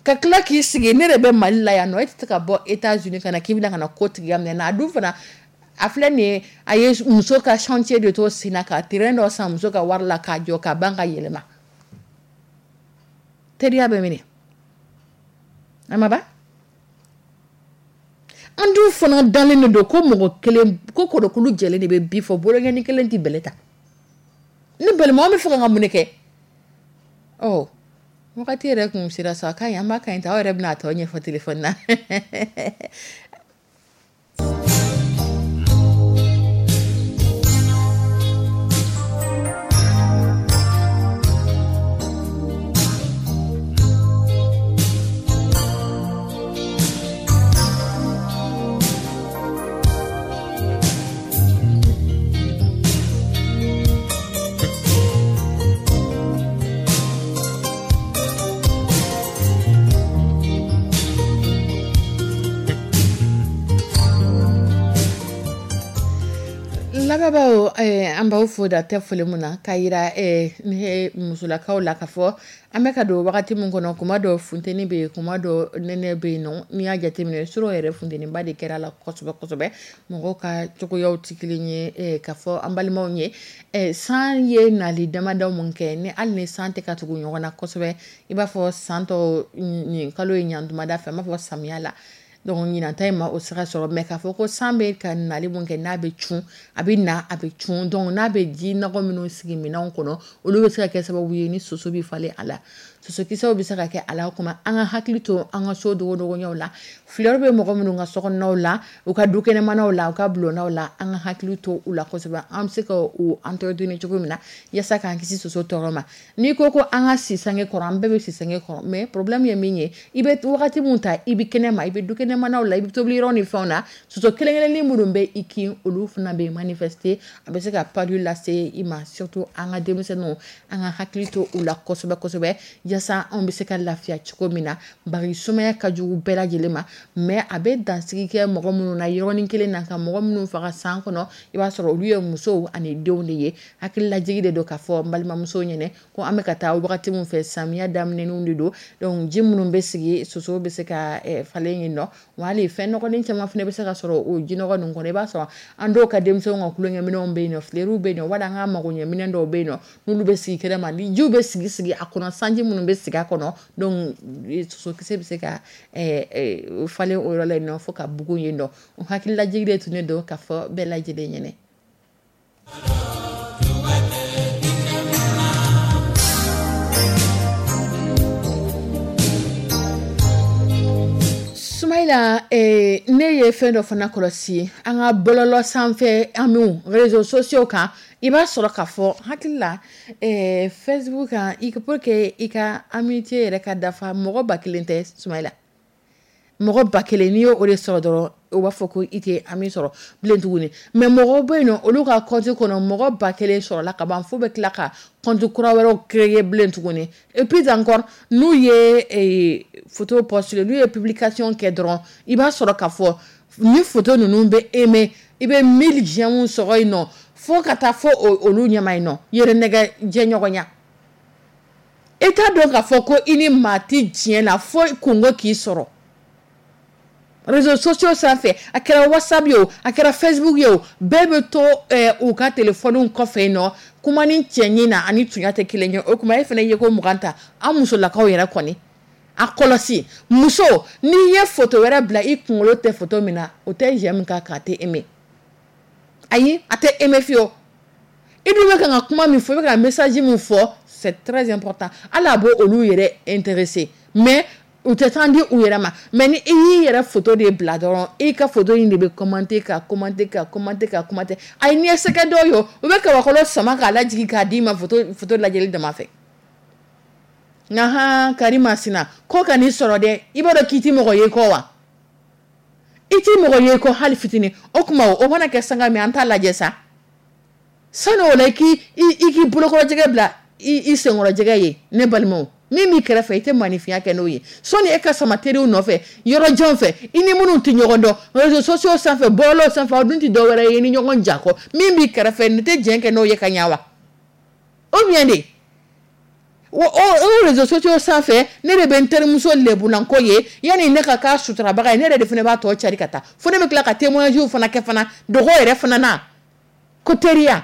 Ka tila k'i sigi, ne de bɛ Mali la yan nɔ, e tɛ se ka bɔ États-Unis ka na k'i bɛna ka na ko tigiya minɛ na. A dun fana, a filɛ nin ye, a ye muso ka chantier de to sen na ka terrain dɔ san muso ka wari la k'a jɔ ka ban ka yɛlɛma. Teriya bɛ minɛ a ma ban. An dun fana dalen de don ko mɔgɔ kelen ko kɔrɔkulu jɛlen de bɛ bi fɔ, bolonkɛni kelen tɛ bɛlɛ ta. Ni balimaw bɛ fɛ ka mun de kɛ? Ɔ, wagati yɛrɛ kun sera sa, ka ɲi, an b'a ka ɲi ta, aw yɛrɛ bɛna a tɔ ɲɛfɔ téléphone na. Lamɛnbaaw, an b'aw fo da tɛ foli mun na k'a yira ni musolakaw la k'a fɔ an bɛ ka don wagati min kɔnɔ, kuma dɔ funteni bɛ yen, kuma dɔ nɛnɛ bɛ yen nɔ. N'i y'a jateminɛ, surɔ yɛrɛ funteniba de kɛra la kosɛbɛ kosɛbɛ. Mɔgɔw ka cogoyaw tɛ kelen ye. K'a fɔ an balimaw ye, san ye nali damadɔ mun kɛ, ni hali ni san tɛ ka tugu ɲɔgɔn na kosɛbɛ, i b'a fɔ san tɔw nin kalo in ɲantumada fɛ, an b'a fɔ samiya la. Donc ɲinan ta in ma o sira sɔrɔ, mais k'a fɔ ko san bɛ ka nali mun kɛ, n'a bɛ cun, a bɛ na, a bɛ cun. Donc n'a bɛ ji nɔgɔ minnu sigi minɛnw kɔnɔ, olu bɛ se ka kɛ sababu ye ni soso bɛ falen a la, sosokisɛw bɛ se ka kɛ a la. O kuma, an ka hakili to an ka so dogodogoɲɛw la. Fleur bɛ mɔgɔ minnu ka sokɔnɔnaw la, u ka dukɛnɛmanaw la, u ka bulondaw la, an ka hakili to u la kosɛbɛ. An bɛ se ka u entretenir cogo min na yaasa k'an kisi soso tɔɔrɔ ma. N'i ko ko an ka si sange kɔrɔ, an bɛɛ bɛ si sange kɔrɔ, mais problème ye min ye, i bɛ wagati min ta, i bɛ kɛnɛ ma, i bɛ dukɛnɛmanaw la, i bɛ tobili yɔrɔ ni fɛnw na, soso kelen kelennin minnu bɛ i kin, olu fana bɛ manifester, a bɛ se ka palu lase i ma. Surtout an ka denmisɛnninw, an ka hakili to u la kosɛbɛ kosɛbɛ, yaasa anw bɛ se ka lafiya cogo min na. Bari sumaya ka jugu bɛɛ lajɛlen ma, mais a bɛ dansigi kɛ mɔgɔ minnu na yɔrɔnin kelen na, ka mɔgɔ minnu faga san kɔnɔ, i b'a sɔrɔ olu ye musow ani denw de ye. Hakililajigi de don k'a fɔ n balimamusow ɲɛnɛ ko an bɛ ka taa wagati min fɛ, samiya daminɛninw de don. Donc ji minnu bɛ sigi, soso bɛ se ka falen yen nɔ, wa hali fɛn nɔgɔlen caman fana bɛ se ka sɔrɔ o jinɔgɔ ninnu kɔnɔ. I b'a sɔrɔ an dɔw ka denmisɛnw ka tulonkɛminɛnw bɛ yen nɔ, fleurw bɛ yen nɔ, wala an ka magoɲɛminɛn dɔw bɛ yen nɔ, n'olu bɛ sigi kɛnɛ ma, ni jiw bɛ sigi sigi a kɔnɔ, sanji minnu bɛ sigi a kɔnɔ, donc sosokisɛ bɛ se ka falen o yɔrɔ la yen nɔ fo ka bugun yen nɔ. O hakililajigi de tun don k'a fɔ bɛɛ lajɛlen ɲɛnɛ. Sumayila, ne ye fɛn dɔ fana kɔlɔsi an ka bɔlɔlɔ sanfɛ, amiw réseaux sociaux kan. I b'a sɔrɔ k'a fɔ hakili la Facebook kan, i pour que i ka amitié yɛrɛ ka dafa, mɔgɔ ba kelen tɛ Sumayila, mɔgɔ ba kelen, n'i y'o de sɔrɔ dɔrɔn, u b'a fɔ ko i tɛ ami sɔrɔ bilen tuguni. Mais mɔgɔw bɛ yen nɔ, olu ka compte kɔnɔ mɔgɔ ba kelen sɔrɔla ka ban, fo bɛ tila ka compte kura wɛrɛw créer bilen tuguni. Et puis encore, n'u ye photo poster, n'u ye publication kɛ dɔrɔn, i b'a sɔrɔ k'a fɔ ni photo ninnu bɛ aimer, i bɛ mille j'aime sɔrɔ yen nɔ, fo ka taa fo olu ɲɛma yen nɔ, yɛrɛ nɛgɛ jɛɲɔgɔnya. I t'a dɔn k'a fɔ ko i ni maa tɛ diɲɛ la fo kungo k'i sɔrɔ. Réseaux sociaux sanfɛ, a kɛra WhatsApp ye o, a kɛra Facebook ye o, bɛɛ bɛ to u ka téléphone kɔfɛ yen nɔ. Kuma ni cɛɲi na ani tunya tɛ kelen ye. O kuma, e fana ye ko mugan ta, an musolakaw yɛrɛ kɔni a kɔlɔsi, muso, n'i ye photo wɛrɛ bila i kunkolo tɛ photo min na, o tɛ j'aime k'a kan, a tɛ aimer. Ayi, a tɛ aimer fiyewu. I dun bɛ kan ka kuma min fɔ, i bɛ ka message min fɔ, c'est très important. Hali a b'o olu yɛrɛ intéressé, mais u tɛ temps di u yɛrɛ ma. Mais ni i y'i yɛrɛ photo de bila dɔrɔn, i ka photo in de bɛ commenter ka commenter ka commenter ka commenter. Ayi, n'i ye sɛgɛ dɔw ye, u bɛ kabakolo sama k'a lajigin k'a d'i ma photo photo lajɛli dama fɛ. Nka han, Karimasina ko ka n'i sɔrɔ dɛ, i b'a dɔn k'i ti mɔgɔ ye kɔ wa? I ti mɔgɔ ye kɔ hali fitinin. O tuma, o mana kɛ sanga min, an t'a lajɛ sa. Sani o la, i k'i i k'i bolokɔrɔjɛgɛ bila i i senkɔrɔjɛgɛ ye. Ne balimaw, min b'i kɛrɛfɛ, i tɛ maninfinya kɛ n'o ye. Sɔnni e ka sama teriw nɔfɛ yɔrɔ jan fɛ, i ni minnu tɛ ɲɔgɔn dɔn réseaux sociaux sanfɛ, bɔlɔlɔw sanfɛ, aw dun tɛ dɔ wɛrɛ ye ni ɲɔgɔn ja kɔ. Min b'i kɛrɛfɛ, nin tɛ jɛn kɛ n'o ye ka ɲɛ wa? O bien de o o réseaux sociaux sanfɛ, ne de bɛ n terimuso lebulanko ye, yanni ne ka k'a suturabaga ye, ne yɛrɛ de fana b'a tɔ cari ka taa fo ne bɛ tila ka témoignage fana kɛ fana dogo yɛrɛ fana na ko teriya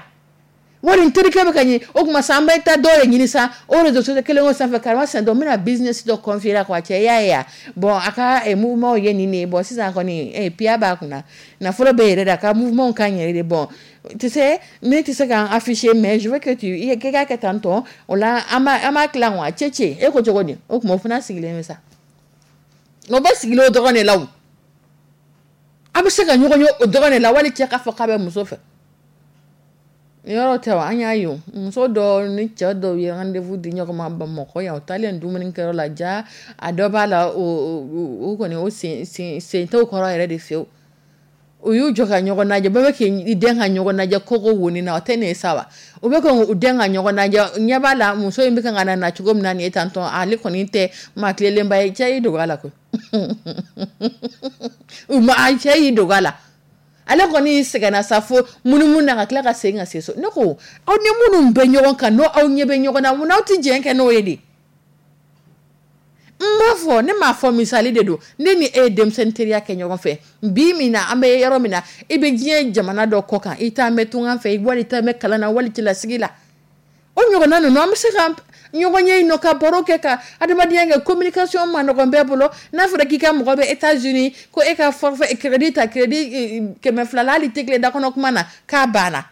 wari n terikɛ bɛ ka ɲɛ. O tuma sa, an bɛ taa dɔw de ɲini sa o réseaux sociaux kelen o sanfɛ. Karima dɔ n bɛna business dɔ confier la quoi, cɛ, i y'a ye wa? Bon, a ka mouvement ye nin de ye. Bon, sisan kɔni piya b'a kunna, nafolo bɛ yɛrɛ de, a ka mouvement ka ɲi yɛrɛ de. Bon, tu sais, ne tɛ se k'an afficher, mais je veux que tu i k'a kɛ tan tɔ. O la, an b'a an b'a tilan wa, cɛ cɛ, e ko cogo di? O tuma, o fana sigilen bɛ sa, o bɛ sigilen o dɔrɔn de la. O a bɛ se ka ɲɔgɔn ye o dɔrɔn de la, wali cɛ k'a fɔ k'a bɛ muso fɛ. Yɔrɔ tɛ wa? An y'a ye, o muso dɔw ni cɛ dɔw ye rendez-vous di ɲɔgɔn ma Bamakɔ yan. O taalen dumunikɛyɔrɔ la, ja a dɔ b'a la, o o kɔni, o sen sen sen t'o kɔrɔ yɛrɛ de fiyewu. U y'u jɔ ka ɲɔgɔn lajɛ, bɛɛ bɛ k'i den ka ɲɔgɔn lajɛ koko woni na, o tɛ nin ye sa wa? U bɛ ka u den ka ɲɔgɔn lajɛ, ɲɛ b'a la muso in bɛ kan ka na na cogo min na nin ye tantɔ, ale kɔni tɛ maa tilelenba ye. Cɛ y'i dogo a la koyi, u ma cɛ y'i dogo a la. Ale kɔni sɛgɛnna sa fo munumunu na ka tila ka segin ka se so. Ne ko aw ni minnu bɛ ɲɔgɔn kan, n'o aw ɲɛ bɛ ɲɔgɔn na, mun n'aw tɛ jɛn kɛ n'o ye de? N b'a fɔ, ne m'a fɔ, misali de don. Ne ni e ye denmisɛnnin teriya kɛ ɲɔgɔn fɛ. Bi min na an bɛ yɔrɔ min na, i bɛ diɲɛ jamana dɔ kɔ kan, i t'an bɛ tungan fɛ, wali i t'an bɛ kalan na, wali cɛlasigi la. O ɲɔgɔnna ninnu, an bɛ se ka ɲɔgɔn ye yen nɔ, ka baro kɛ, ka adamadenya kɛ. Communication ma nɔgɔn bɛɛ bolo. N'a fɔra k'i ka mɔgɔ bɛ États-Unis, ko e ka forfait crédit ta, crédit kɛmɛ fila la, hali tɛ tile da kɔnɔ kuma na k'a banna.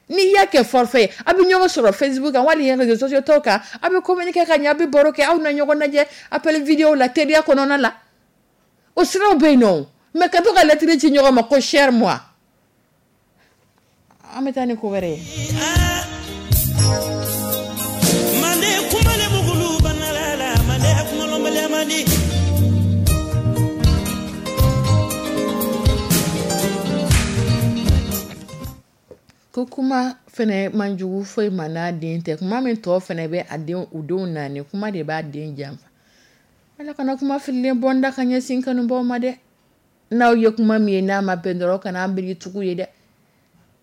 N'i y'a kɛ forfait, a bɛ ɲɔgɔn sɔrɔ Facebook kan, wali réseaux sociaux tɔw kan, a bɛ communiquer ka ɲɛ, a bɛ baro kɛ, aw na ɲɔgɔn lajɛ appel vidéo la, teriya kɔnɔna la. O siraw bɛ yen nɔ. Mais ka to ka lettre ci ɲɔgɔn ma ko cher moi, an bɛ taa ni ko wɛrɛ ye. Mande kumale bugulu banalala, mande kumalombale mandi. Ko kuma fɛnɛ man jugu foyi ma n'a den tɛ. Kuma min tɔ fɛnɛ bɛ a den, u denw naani, kuma de b'a den janfa. Ala kana kuma fililen bɔ n da ka ɲɛsin kanubaw ma dɛ. N'aw ye kuma min ye n'a ma bɛn dɔrɔn, kana an biri tugu ye dɛ.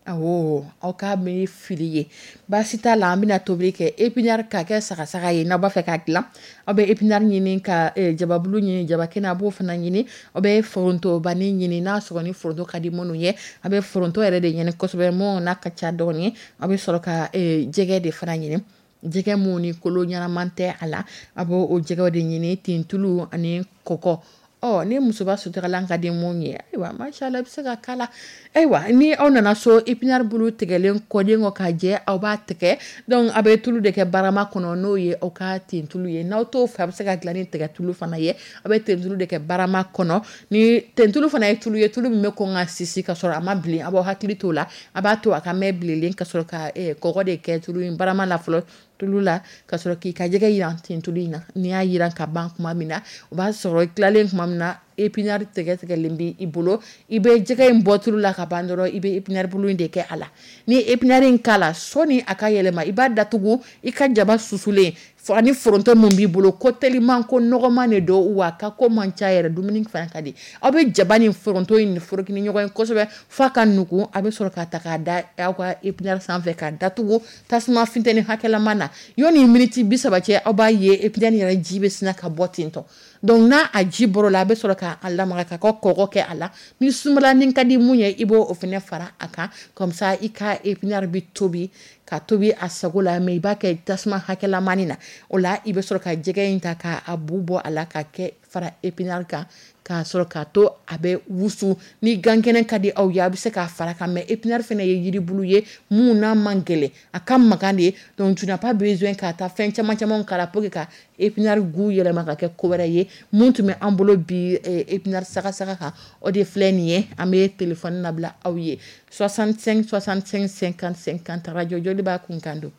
Awɔ, aw k'a miiri fili ye, baasi t'a la. An bɛna tobili kɛ épinard k'a kɛ sagasaga ye. N'aw b'a fɛ k'a dilan, aw bɛ épinard ɲini, ka eh, jababulu ɲini, jabakɛnɛ a b'o fana ɲini. Aw bɛ forontobanin ɲini, n'a sɔrɔ ni foronto ka di minnu ye, a bɛ foronto yɛrɛ de ɲini kosɛbɛ, mun n'a ka ca dɔɔni. Aw bɛ sɔrɔ ka eh, jɛgɛ de fana ɲini, jɛgɛ mun ni kolo ɲɛnaman tɛ a la, a b'o o jɛgɛw de ɲini, tentulu ani kɔkɔ. Ɔ ni musoba sutaralan ka di mun ye, ayiwa, mashallah, i bɛ se ka k'a la. Ayiwa, ni aw nana so, épinard bulu tigɛlen kɔden kɔ k'a jɛ, aw b'a tigɛ. Donc a bɛ tulu de kɛ barama kɔnɔ, n'o ye aw ka tentulu ye. N'aw t'o fɛ, a bɛ se ka dilan ni tigɛtulu fana ye. A bɛ tentulu de kɛ barama kɔnɔ. Ni tentulu fana ye tulu ye, tulu min bɛ kɔn ka sisi ka sɔrɔ a ma bilen, a b'aw hakili t'o la. A b'a to a ka mɛn bilenlen, ka sɔrɔ ka eh, kɔgɔ de kɛ tulu in barama la fɔlɔ, tulu la, ka sɔrɔ k'i ka jɛgɛ yiran tentulu in na. N'i y'a yiran ka ban kuma min na, o b'a sɔrɔ i tilalen kuma min na, épinard tigɛ tigɛlen bɛ i bolo. I bɛ jɛgɛ in bɔ tulu la ka ban dɔrɔn, i bɛ épinard bulu in de kɛ a la. Ni épinard in k'a la, sɔɔni a ka yɛlɛma, i b'a datugu. I ka jaba susulen ani foronto min b'i bolo, ko teliman, ko nɔgɔman de don, wa ka ko man ca yɛrɛ, dumuni fana ka di. Aw bɛ jaba ni foronto in foroki ni ɲɔgɔn ye kosɛbɛ f'a ka nugu. A bɛ sɔrɔ k'a ta k'a da aw ka épinard sanfɛ, k'a datugu tasuma funtɛni hakɛlama na. Yɔni miniti bi saba cɛ, aw b'a ye épinard yɛrɛ ji bɛ sina ka bɔ ten tɔ. Donc n'a a ji bɔr'o la, a bɛ sɔrɔ k'a lamaga k'a ka kɔgɔ kɛ a la. Ni sumalanin ka di mun ye, i b'o fana fara a kan. Comme ça i ka épinard bɛ tobi ka tobi a sago la, mais i b'a kɛ tasuma hakɛlamani na. O la i bɛ sɔrɔ ka jɛgɛ in ta k'a bu bɔ a la, ka kɛ fara épinard kan, k'a sɔrɔ k'a to a bɛ wusu. Ni gankɛnɛ ka di aw ye, a bɛ se k'a fara kan. Mais épinard fana ye yiribulu ye mun n'a man gɛlɛn, a ka magan de. Donc tu n'as pas besoin k'a ta fɛn caman caman k'a la pour que ka épinard goût yɛlɛma ka kɛ ko wɛrɛ ye. Mun tun bɛ an bolo bi épinard sagasaga kan, o de filɛ nin ye. An bɛ téléphone labila aw ye, soixante-cinq soixante-cinq cinquante cinquante, radio Joliba kunkan don.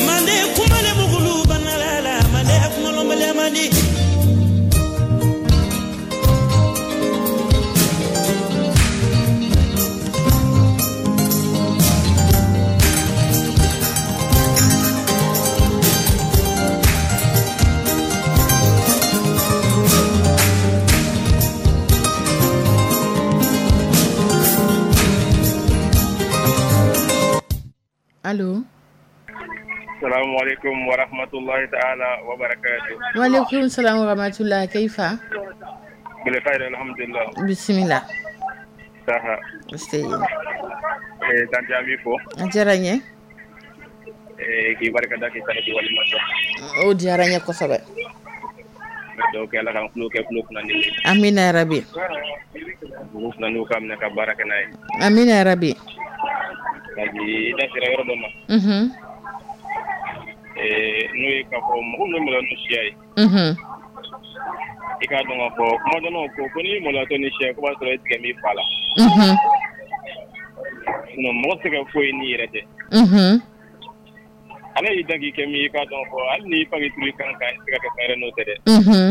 Mande kumale bugulu banalala, mande kumalombale mandi. Allo. Assalamu alaikum wa rahmatullahi ta'ala wa barakatuh. Wa alaikum salam wa rahmatullahi. Kaifa? Bil khair, alhamdulillah. Bismillah. Saha. Nse. Eh tanti ami fo. A diyara n ye. Eh k'i barika da k'i tanu k'i waleɲuman dɔn. O diyara n ye kosɛbɛ. Donc Ala k'an tulo kɛ tulo kunnandi ye. Amina ya rabi. Dugu kunnandiw k'a minɛ ka baara kɛ n'a ye. Amina ya rabi. Tanti i da sera yɔrɔ dɔ ma. Mhm. Eh n'o ye k'a fɔ mɔgɔ min bɛ maloya n'u siya ye. Mhm. I k'a dɔn k'a fɔ kuma dɔ la ko ko n'i maloyatɔ ni siya ye ko b'a sɔrɔ i tigɛ b'i fa la. Mhm. Sinon mɔgɔ tɛ se ka foyi n'i yɛrɛ tɛ. Mhm. Ala y'i dan k'i kɛ min ye, i k'a dɔn fɔ hali n'i fa k'i turu i kan kan, i tɛ se ka kɛ fɛn wɛrɛ n'o tɛ dɛ. Mhm.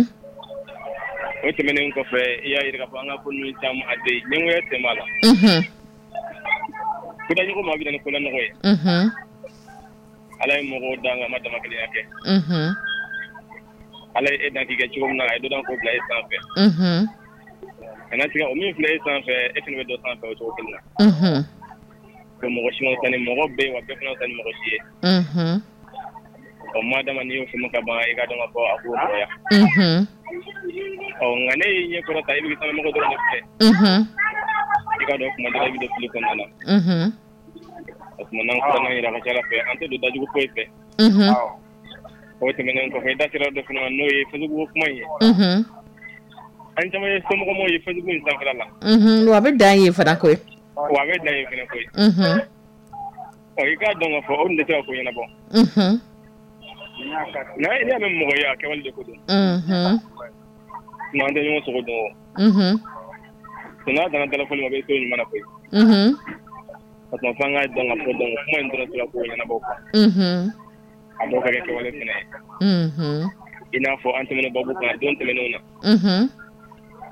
O tɛmɛnen kɔfɛ, i y'a jira k'a fɔ an ka ko ninnu caman a tɛ yen, ɲɛngoya sen b'a la. Mhm. Kodaɲɔgɔn ma bɛ na ni kolanɔgɔ ye. Mhm. Ala ye mɔgɔw dan nka a ma damakelenya kɛ. Mhm. Ala ye e dan k'i kɛ cogo min na, a ye dɔ dan k'o bila e sanfɛ. Mhm. Kana siga, o min filɛ e sanfɛ, e fana bɛ dɔ sanfɛ o cogo kelen na. Mhm. Ko mɔgɔ si ma fisa ni mɔgɔ bɛɛ ye, wa bɛɛ fana fisa ni mɔgɔ si ye. Mhm. Ɔ, maa dama n'i y'o faamu ka ban, i ka dɔn ka fɔ a k'o nɔgɔya. Mhm. Ɔ, nka ne y'i ɲɛ kɔrɔ ta, i bɛ sanumɔgɔ dɔrɔn de filɛ. Mhm. I ka dɔn kuma dɔ la, i bɛ don fili kɔnɔna na. Mhm. O tuma, n'an kɔrɔ yɛrɛ, ka ca ala fɛ, an tɛ don dajugu foyi fɛ. Mhm. O tɛmɛnen kɔfɛ, i da sera dɔ fana ma, n'o ye Facebook kuma in ye. Mhm. An caman ye somɔgɔw ye Facebook in sanfɛla la. Mhm. Wa a bɛ dan yen fana koyi. Wa a bɛ dan yen fana koyi. Mhm. Ɔ, i k'a dɔn k'a fɔ o dun tɛ se ka ko ɲɛnabɔ. Mhm. N'a n'i y'a mɛn mɔgɔ ye, a kɛwale de ko don. Mhm. Tuma an tɛ ɲɔgɔn sogo dɔn o. Mhm. N'a danna dalafɔli ma, a bɛ to ɲuman na koyi. Mhm. O tuma, f'an k'a dɔn k'a fɔ, donc, kuma in dɔrɔn tɛ se ka ko ɲɛnabɔ quoi. Mhm. A dɔw ka kɛ kɛwale fana ye. Mhm. I n'a fɔ an tɛmɛna babu kan don tɛmɛnenw na. Mhm.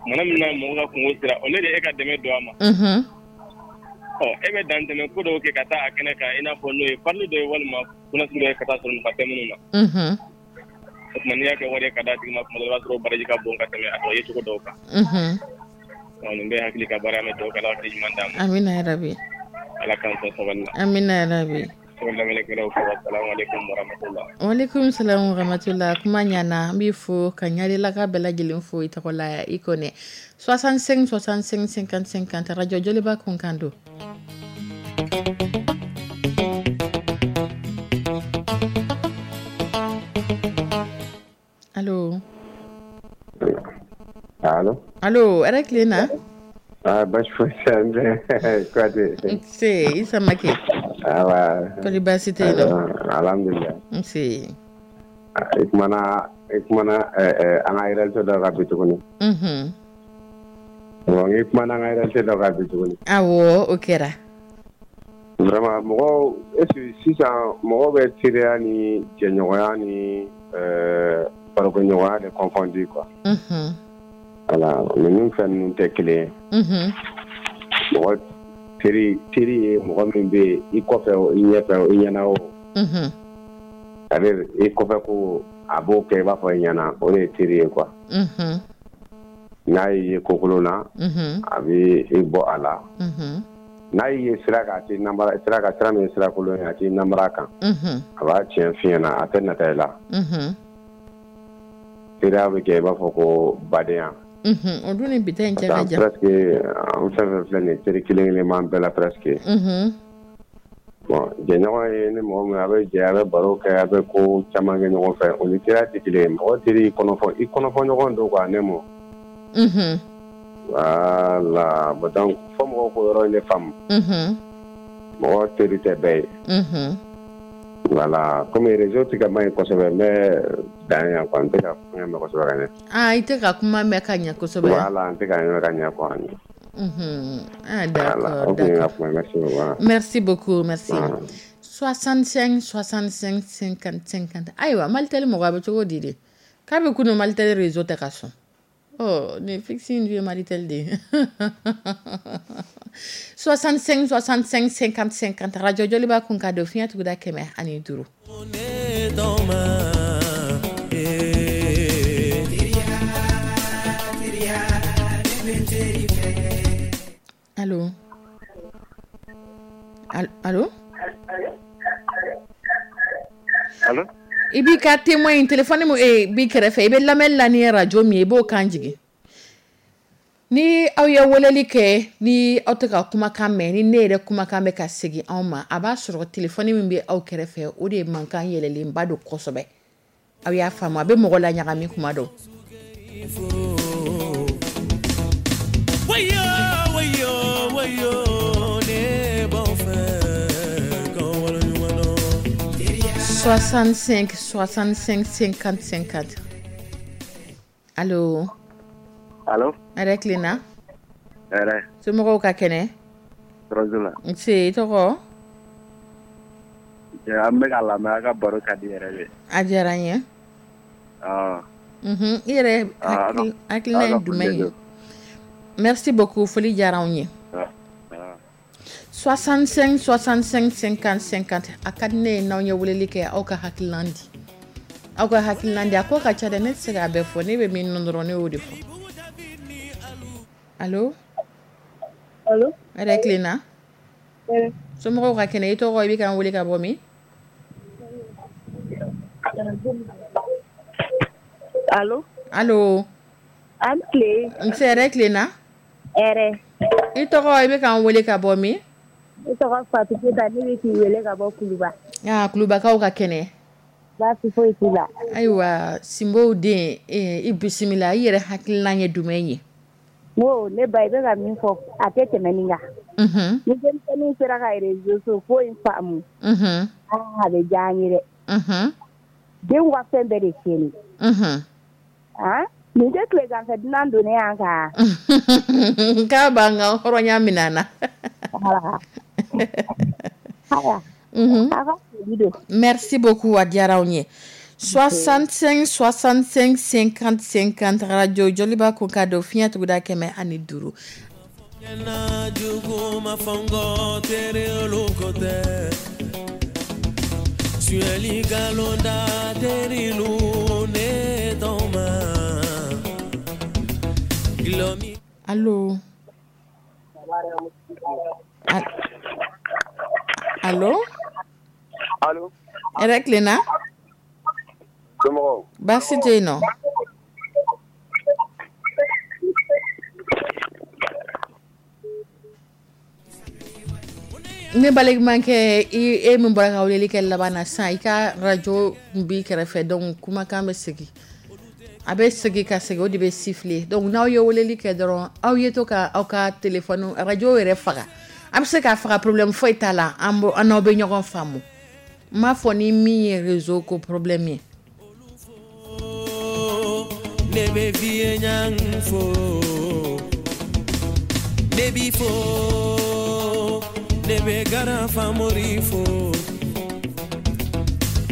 Kumana min na mɔgɔ ka kungo sera, au lieu de e ka dɛmɛ don a ma, Mhm. ɔ, e bɛ dan tɛmɛ ko dɔw kɛ ka taa a kɛnɛ kan, i n'a fɔ n'o ye farili dɔ ye walima kunnasiri dɔ ye ka taa sɔrɔ nafa tɛ minnu na. Mhm. O tuma, n'i y'a kɛ wari ye ka d'a tigi ma, kuma dɔ la, i b'a sɔrɔ baraji ka bon ka tɛmɛ a tɔ ye cogo dɔw kan. Mhm. Ɔ, nin bɛɛ ye hakili ka baara mɛ, dɔw ka Ala hakili ɲuman d'an ma. Amina yarabi. Ala k'an sɔn sabali la. Amina yarabi. Ko lamɛnnikɛlaw fo, assalamu alaikum warahmatullah. Walekum salam warahmatullah. Kuma ɲana, n b'i fo ka ɲarilaka bɛɛ lajɛlen fo i tɔgɔ la. I kɔnɛ soixante-cinq soixante-cinq cinquante cinquante, radio Joliba kunkan don. Allo? Allo? Allo, hɛrɛ tile na. Ah, baasi foyi tɛ n bɛ Kuyate. Nse, i Samake. Awa. Kɔri baasi tɛ yen nɔ? Alhamdulilah. Nse. I kumana i kumana an ka réalité dɔ kan bi tuguni. Mhm. Bon, i kumana an ka réalité dɔ kan bi tuguni. Awɔ, o kɛra. Vraiment, mɔgɔw, est ce que sisan mɔgɔw bɛ teriya ni jɛɲɔgɔnya ni ɛɛ barokɛɲɔgɔnya de confondu quoi. Mhm. Voilà, ninnu fɛn ninnu tɛ kelen ye. Mhm. Mɔgɔ teri teri ye mɔgɔ min bɛ yen, i kɔfɛ o, i ɲɛfɛ o, i ɲɛna o. Mhm. C'est-à-dire, i kɔfɛ ko a b'o kɛ i b'a fɔ i ɲɛna, o de ye teri ye quoi. Mhm. N'a y'i ye kokolon na, Mhm. a bɛ i bɔ a la. Mhm. N'a y'i ye sira kan, a t'i namara sira kan, sira min ye sira kolon ye, a t'i namara kan. Mhm. A b'a tiɲɛ f'i ɲɛna, a tɛ nata i la. Mhm. Teriya bɛ kɛ i b'a fɔ ko badenya. Mhm. O dun ni bi ta in cɛ ka Parce que jan. presque an fɛn fɛn filɛ nin ye, teri kelen kelen b'an bɛɛ la presque. Mhm. Bon, jɛɲɔgɔn ye ni mɔgɔ min a bɛ jɛ, a bɛ baro kɛ, a bɛ ko caman kɛ ɲɔgɔn fɛ, o ni teriya tɛ kelen ye. Mɔgɔ teri kɔnɔfɔ i kɔnɔfɔ ɲɔgɔn don quoi, ne mɔ. Mhm. Voilà, bon, donc fo mɔgɔw k'o yɔrɔ in de faamu. Mhm. Mɔgɔ teri tɛ bɛɛ ye. Mhm. Voilà, comme réseau tɛ ka man ɲi kosɛbɛ, n bɛ dan yan quoi, n tɛ ka kuma mɛn kosɛbɛ ka ɲɛ. Ah, i tɛ ka kuma mɛn ka ɲɛ kosɛbɛ. Voilà, n tɛ ka mɛn ka ɲɛ quoi. Mhm. Ah, Voilà, d'accord, o tun ye n ka d'accord. kuma ye, merci beaucoup. Merci beaucoup, merci. Ah. soixante-cinq soixante-cinq cinquante cinquante. Ayiwa, Malitel mɔgɔ, a bɛ cogo di de? K'a bɛ kunun Malitel réseau tɛ ka sɔn. Ɔ, nin fixe in dun ye Malitel de ye. soixante-cinq soixante-cinq cinquante cinquante, radio Joliba kun ka don fiɲɛ tuguda kɛmɛ ani duuru. Dans ma eh. Allo? Al- Allo? Allo? I b'i ka témoin in téléphone min eh, b'i kɛrɛfɛ, i bɛ lamɛnni la ni radio min ye, i b'o kan jigin. Ni aw ye weleli kɛ, ni aw tɛ ka kumakan mɛn, ni ne yɛrɛ kumakan bɛ ka segin anw ma, a b'a sɔrɔ téléphone min bɛ aw kɛrɛfɛ, o de ye mankan yɛlɛlenba don kosɛbɛ. Aw y'a faamu, a bɛ mɔgɔ la ɲagami kuma dɔw. Wayo, wayo, wayo, ne b'aw fɛ k'aw waleɲuman dɔn. soixante-cinq soixante-cinq cinquante cinquante. Allo? Allo? Hɛrɛ tilenna. Hɛrɛ. Somɔgɔw ka kɛnɛ? Tɔɔrɔ t'u la. Nse, i tɔgɔ? An bɛ k'a lamɛn, a ka baro ka di yɛrɛ de. A diyara n ye. Awɔ. Mhm. I yɛrɛ Ah, a ka hakili hakilina a ye ka jumɛn foli ye? don. Merci beaucoup, foli diyara anw ye. Ah, ah. soixante-cinq soixante-cinq cinquante cinquante. A ka di ne ye n'aw ye weleli kɛ, aw ka hakilina di. Aw ka hakilina di, a ko ka ca dɛ, ne tɛ se k'a bɛɛ fɔ, ne bɛ min dɔn dɔrɔn, ne y'o de fɔ. Allo? Allo? Hɛrɛ tilenna? Hɛrɛ. Somɔgɔw ka kɛnɛ? I tɔgɔ, i bɛ k'an wele ka bɔ min? Allo? Allo? An tile. Nse, hɛrɛ tilenna? Hɛrɛ. I tɔgɔ, i bɛ k'an wele ka bɔ min? Ne tɔgɔ Fatou Keita, ne bɛ k'i wele ka bɔ Kuluba. Ah, Kulubakaw ka kɛnɛ? Baasi foyi t'u la. Ayiwa, Sinbow den, i bisimila. I yɛrɛ hakilina ye jumɛn ye? N ko ne ba, i bɛ ka min fɔ, a tɛ tɛmɛ nin kan. Unhun. Ni denmisɛnninw sera ka réseau ko in faamu. Unhun. Aa, a bɛ diya an ye dɛ. Unhun. Denw ka fɛn bɛɛ de tiɲɛni. Unhun. Han, nin tɛ tileganfɛ dunan donnen y'an kan? K'a b'an ka hɔrɔnya minɛ an na. Voilà. Ayiwa. Unhun. Aw ka foli don. Merci beaucoup, a diyara anw ye. soixante-cinq soixante-cinq cinquante cinquante, radio Joliba ko ka don fiɲɛ tuguda kɛmɛ ani duuru. Allo? Allo? Allo? Hɛrɛ tilenna? Somɔgɔw? Baasi tɛ yen nɔ. Ne balimakɛ, e min bɔra ka weleli kɛ laban na sisan, i ka radio b'i kɛrɛfɛ, donc kumakan bɛ segin, a bɛ segin ka segin, o de bɛ siffler. Donc n'aw ye weleli kɛ dɔrɔn, aw ye to ka aw ka téléphone radio yɛrɛ faga. A bɛ se k'a faga, problème foyi t'a la, an an n'aw bɛ ɲɔgɔn faamu. N m'a fɔ ni min ye réseau ko problème ye. Ne bɛ fiye ɲang fo, ne b'i fo, ne bɛ garan famori fo,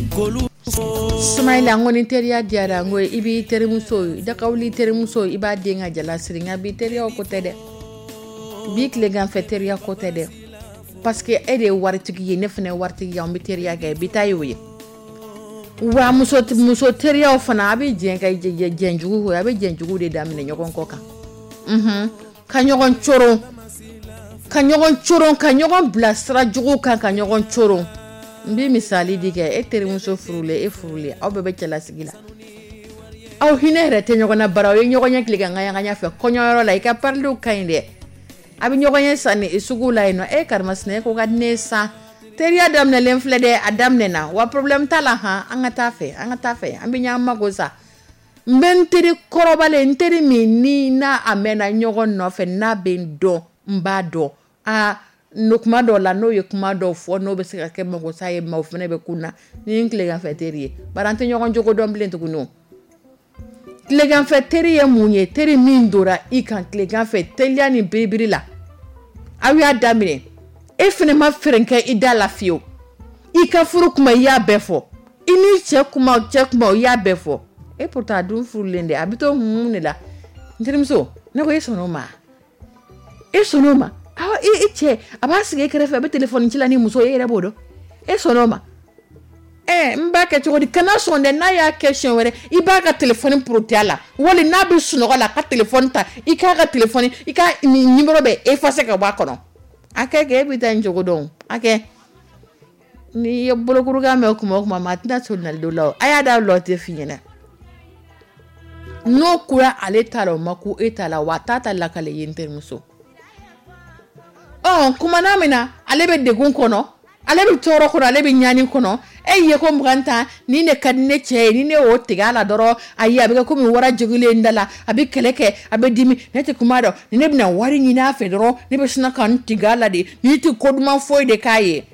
k'olu fo. Sumayila, n ko ni teriya diyara, n ko i b'i terimuso, i da ka wuli terimuso, i b'a den ka jala siri, nka bi teriyaw ko tɛ dɛ. Bi tileganfɛ teriya ko tɛ dɛ. Parce que e de ye waritigi ye, ne fana ye waritigi ye, an bɛ teriya kɛ, bi ta y'o ye. Wa muso muso teriyaw fana, a bɛ jɛn ka jɛn jugu, a bɛ jɛn jugu de daminɛ ɲɔgɔn kɔ kan. Unhun, ka ɲɔgɔn coron, ka ɲɔgɔn coron, ka ɲɔgɔn bila sira jugu kan, ka ɲɔgɔn coron. N bɛ misali di kɛ, e terimuso furulen, e furulen, aw bɛɛ bɛ cɛlasigi la. Aw hinɛ yɛrɛ tɛ ɲɔgɔn na, bara aw ye ɲɔgɔn ye tilegan ŋaɲa fɛ kɔɲɔyɔrɔ la, i ka pariliw ka ɲi dɛ. A bɛ ɲɔgɔn ye sanni sugu la yen nɔ, e karimasina, e ko ka di ne ye san. Teriya daminɛlen filɛ dɛ, a daminɛna, wa problème t'a la han, an ka taa fɛ, an ka taa fɛ, an bɛ ɲɔgɔn mago sa. N bɛ n teri kɔrɔbalen, n teri min ni n'a a mɛnna ɲɔgɔn nɔfɛ, n'a bɛ n dɔn, n b'a dɔn. Aa, no kuma dɔw la, n'o ye kuma dɔw fɔ, n'o bɛ se ka kɛ magosa ye, maaw fana bɛ kun na ni n tileganfɛ teri ye. Bari an tɛ ɲɔgɔn jogo dɔn bilen tuguni o. Tileganfɛ teri ye mun ye? Teri min donna i kan tileganfɛ teliya ni biribiri la, aw y'a daminɛ, e fana ma fɛɛrɛ kɛ i da la fiyewu. I ka furu kuma, i y'a bɛɛ fɔ, i ni cɛ kuma, cɛ kuma, i y'a bɛɛ fɔ. E pourtant a dun furulen dɛ, a bɛ to hun de la. N terimuso, ne ko e sɔnn'o ma? E sɔnn'o ma? Awɔ, i cɛ a b'a sigi e kɛrɛfɛ, a bɛ téléphone ci la ni muso ye, e yɛrɛ b'o dɔn. E sɔnn'o ma? Ɛ, n b'a kɛ cogo di? Kana sɔn dɛ, n'a y'a kɛ siɲɛ wɛrɛ, i b'a ka téléphone porote a la, wali n'a bɛ sunɔgɔ la, a ka téléphone ta, i k'a ka téléphone, i ka numéro bɛɛ effacer ka bɔ a kɔnɔ. A kɛ kɛ, e bɛ taa nin cogo dɔn. A kɛ. N'i ye bolokurukan mɛn kuma o kuma, maa tɛna sɔn nali don la o. A y'a da lɔ tɛ f'i ɲɛna. N'o kura ale ta la, o ma ku e ta la, wa a t'a ta lakale ye n terimuso. Ɔ, kumana min na, ale bɛ degun kɔnɔ, ale bɛ tɔɔrɔ kɔnɔ, ale bɛ ɲani kɔnɔ. E ye ko mugan tan, ni ne ka di ne cɛ ye, ni ne y'o tigɛ a la dɔrɔn, ayi, a bɛ kɛ komi wara jogilen da la, a bɛ kɛlɛ kɛ, a bɛ dimi, ne tɛ kuma dɔn, ni ne bɛna wari ɲini a fɛ dɔrɔn, ne bɛ sina ka n tigɛ a la de, ni tɛ ko duman foyi de k'a ye.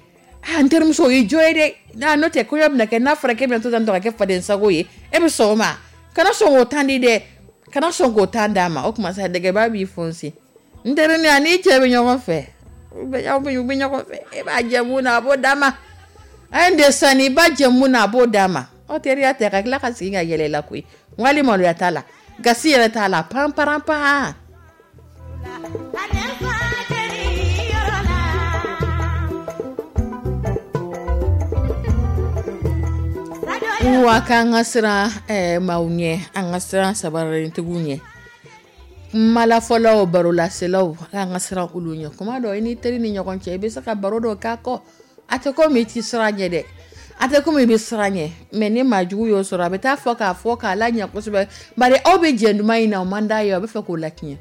Ah, n terimuso, o y'i jo ye dɛ. N'a n'o tɛ, kɔɲɔ bɛna kɛ, n'a fɔra k'e bɛna to tan tɔ ka kɛ faden sago ye, e bɛ sɔn o ma? Kana sɔn k'o tan di dɛ, kana sɔn k'o tan d'a ma. O tuma sa, dɛgɛba b'i fonsi. N terinin, a n'i cɛ bɛ ɲɔgɔn fɛ, u bɛ ɲɔgɔn fɛ, e b'a jɛ mun na, a b'o d'a ma. A ye de sanni, i b'a jɛ mun na, a b'o d'a ma. Aw teriya tɛ ka tila ka sigi ka yɛlɛ la koyi. Wali maloya t'a la, gasi yɛrɛ t'a la, pan paran pan. Wa k'an ka siran eh, maaw ɲɛ, an ka siran sabarintigiw ɲɛ. Kumalafɔlaw, barolaselaw, an ka siran olu ɲɛ. Kuma dɔ, i ni teri ni ɲɔgɔn cɛ, i bɛ se ka baro dɔ k'a kɔ. A tɛ komi i ti siran ɲɛ dɛ, a tɛ komi i bɛ siran ɲɛ, mais ni maa jugu y'o sɔrɔ, a bɛ taa fɔ k'a fɔ k'a la ɲɛ kosɛbɛ. Bari aw bɛ jɛ duman in na, o man d'a ye, a bɛ fɛ k'o latiɲɛ.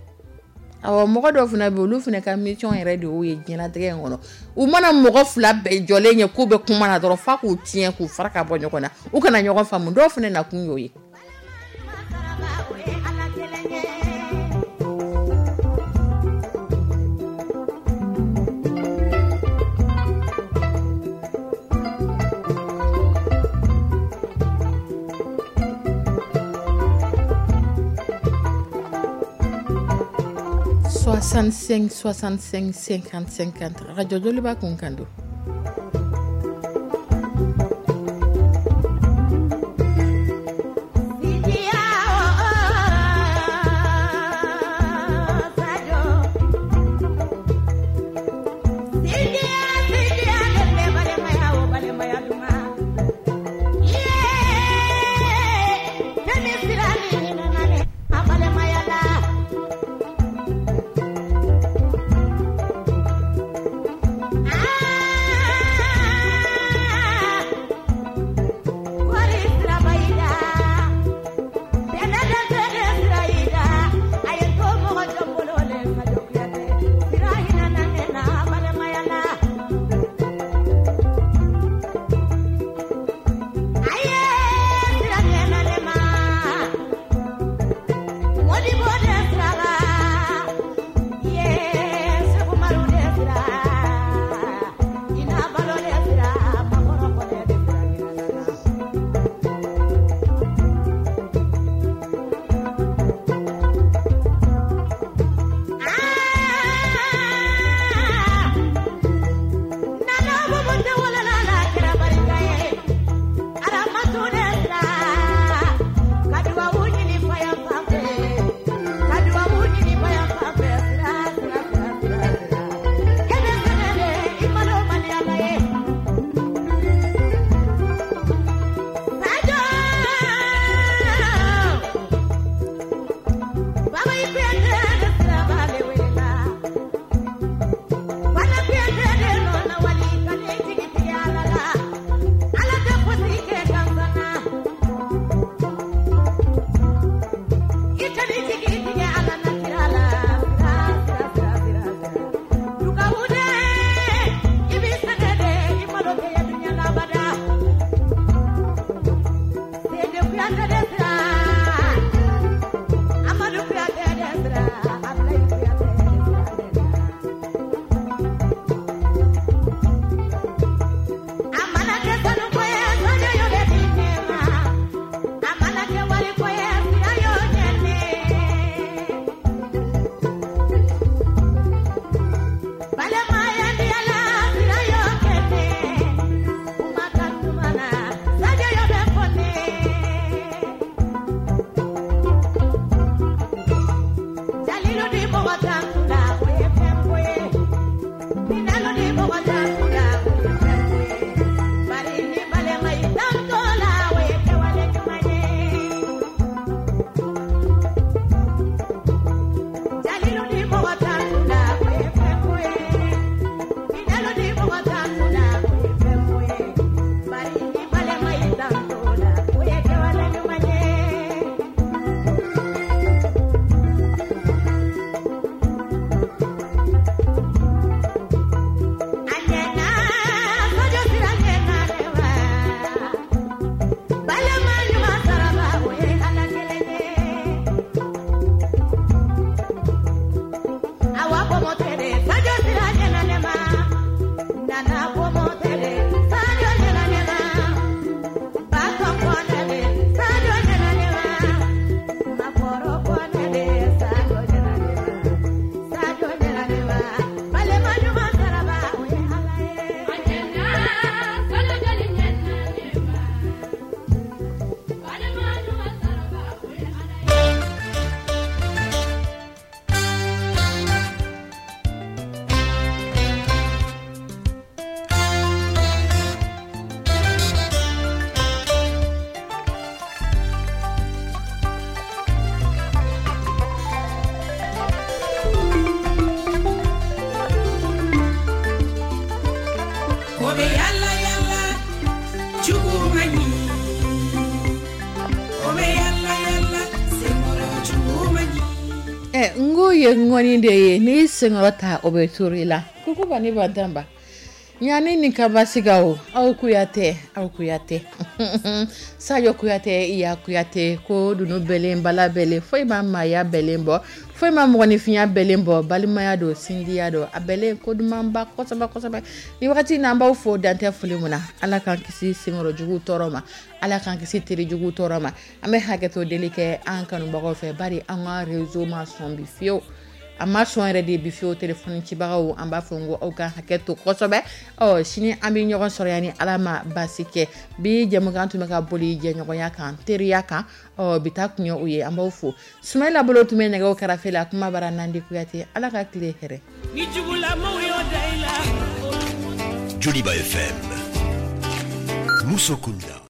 Awɔ, mɔgɔ dɔw fana bɛ yen, olu fana ka mission yɛrɛ de y'o ye diɲɛlatigɛ in kɔnɔ. U mana mɔgɔ fila bɛɛ jɔlen ye k'u bɛ kuma na dɔrɔn, f'a k'u tiɲɛ, k'u fara ka bɔ ɲɔgɔn na, u kana ɲɔgɔn faamu. Dɔw fana nakun y'o ye. Soixante-cinq soixante-cinq cinquante cinquante, Radio Joliba kun kan don. Ɛ, n ko ye ŋɔni de ye, n'i senkɔrɔ ta, o bɛ turu i la. Kukuba ni Bantanba, ɲani ni kabasiga o, aw Kuyatɛ, aw Kuyatɛ, Sajo Kuyatɛ, iya Kuyatɛ, ko dunu bɛlen bala bɛlen, foyi ma maaya bɛlen bɔ, foyi ma mɔgɔninfinya bɛlen bɔ. Balimaya don, sinjiya don, a bɛlen ko dumanba kosɛbɛ kosɛbɛ. Ni wagati n'an b'aw fo dantɛ foli mun na. Ala k'an kisi senkɔrɔ jugu tɔɔrɔ ma, Ala k'an kisi teri jugu tɔɔrɔ ma. An bɛ hakɛto deli kɛ an kanubagaw fɛ, bari an ka réseau ma sɔn bi fiyewu, a ma sɔn yɛrɛ de bi fiyewu. Telefɔni cibagaw, an b'a fɔ n ko aw ka hakɛ to kosɛbɛ. Ɔ, sini an bɛ ɲɔgɔn sɔrɔ yan ni Ala ma baasi kɛ. Bi jɛmukan tun bɛ ka boli jɛɲɔgɔnya kan, teriya kan. Ɔ, bi ta kun ye o ye. An b'aw fo. Sumayila bolo tun bɛ nɛgɛw kɛrɛfɛ la kuma bara. Nandi Kuyate, Ala ka tile hɛrɛ. Ni jugulamaw y'o da i la. Joliba F M. Musokunda.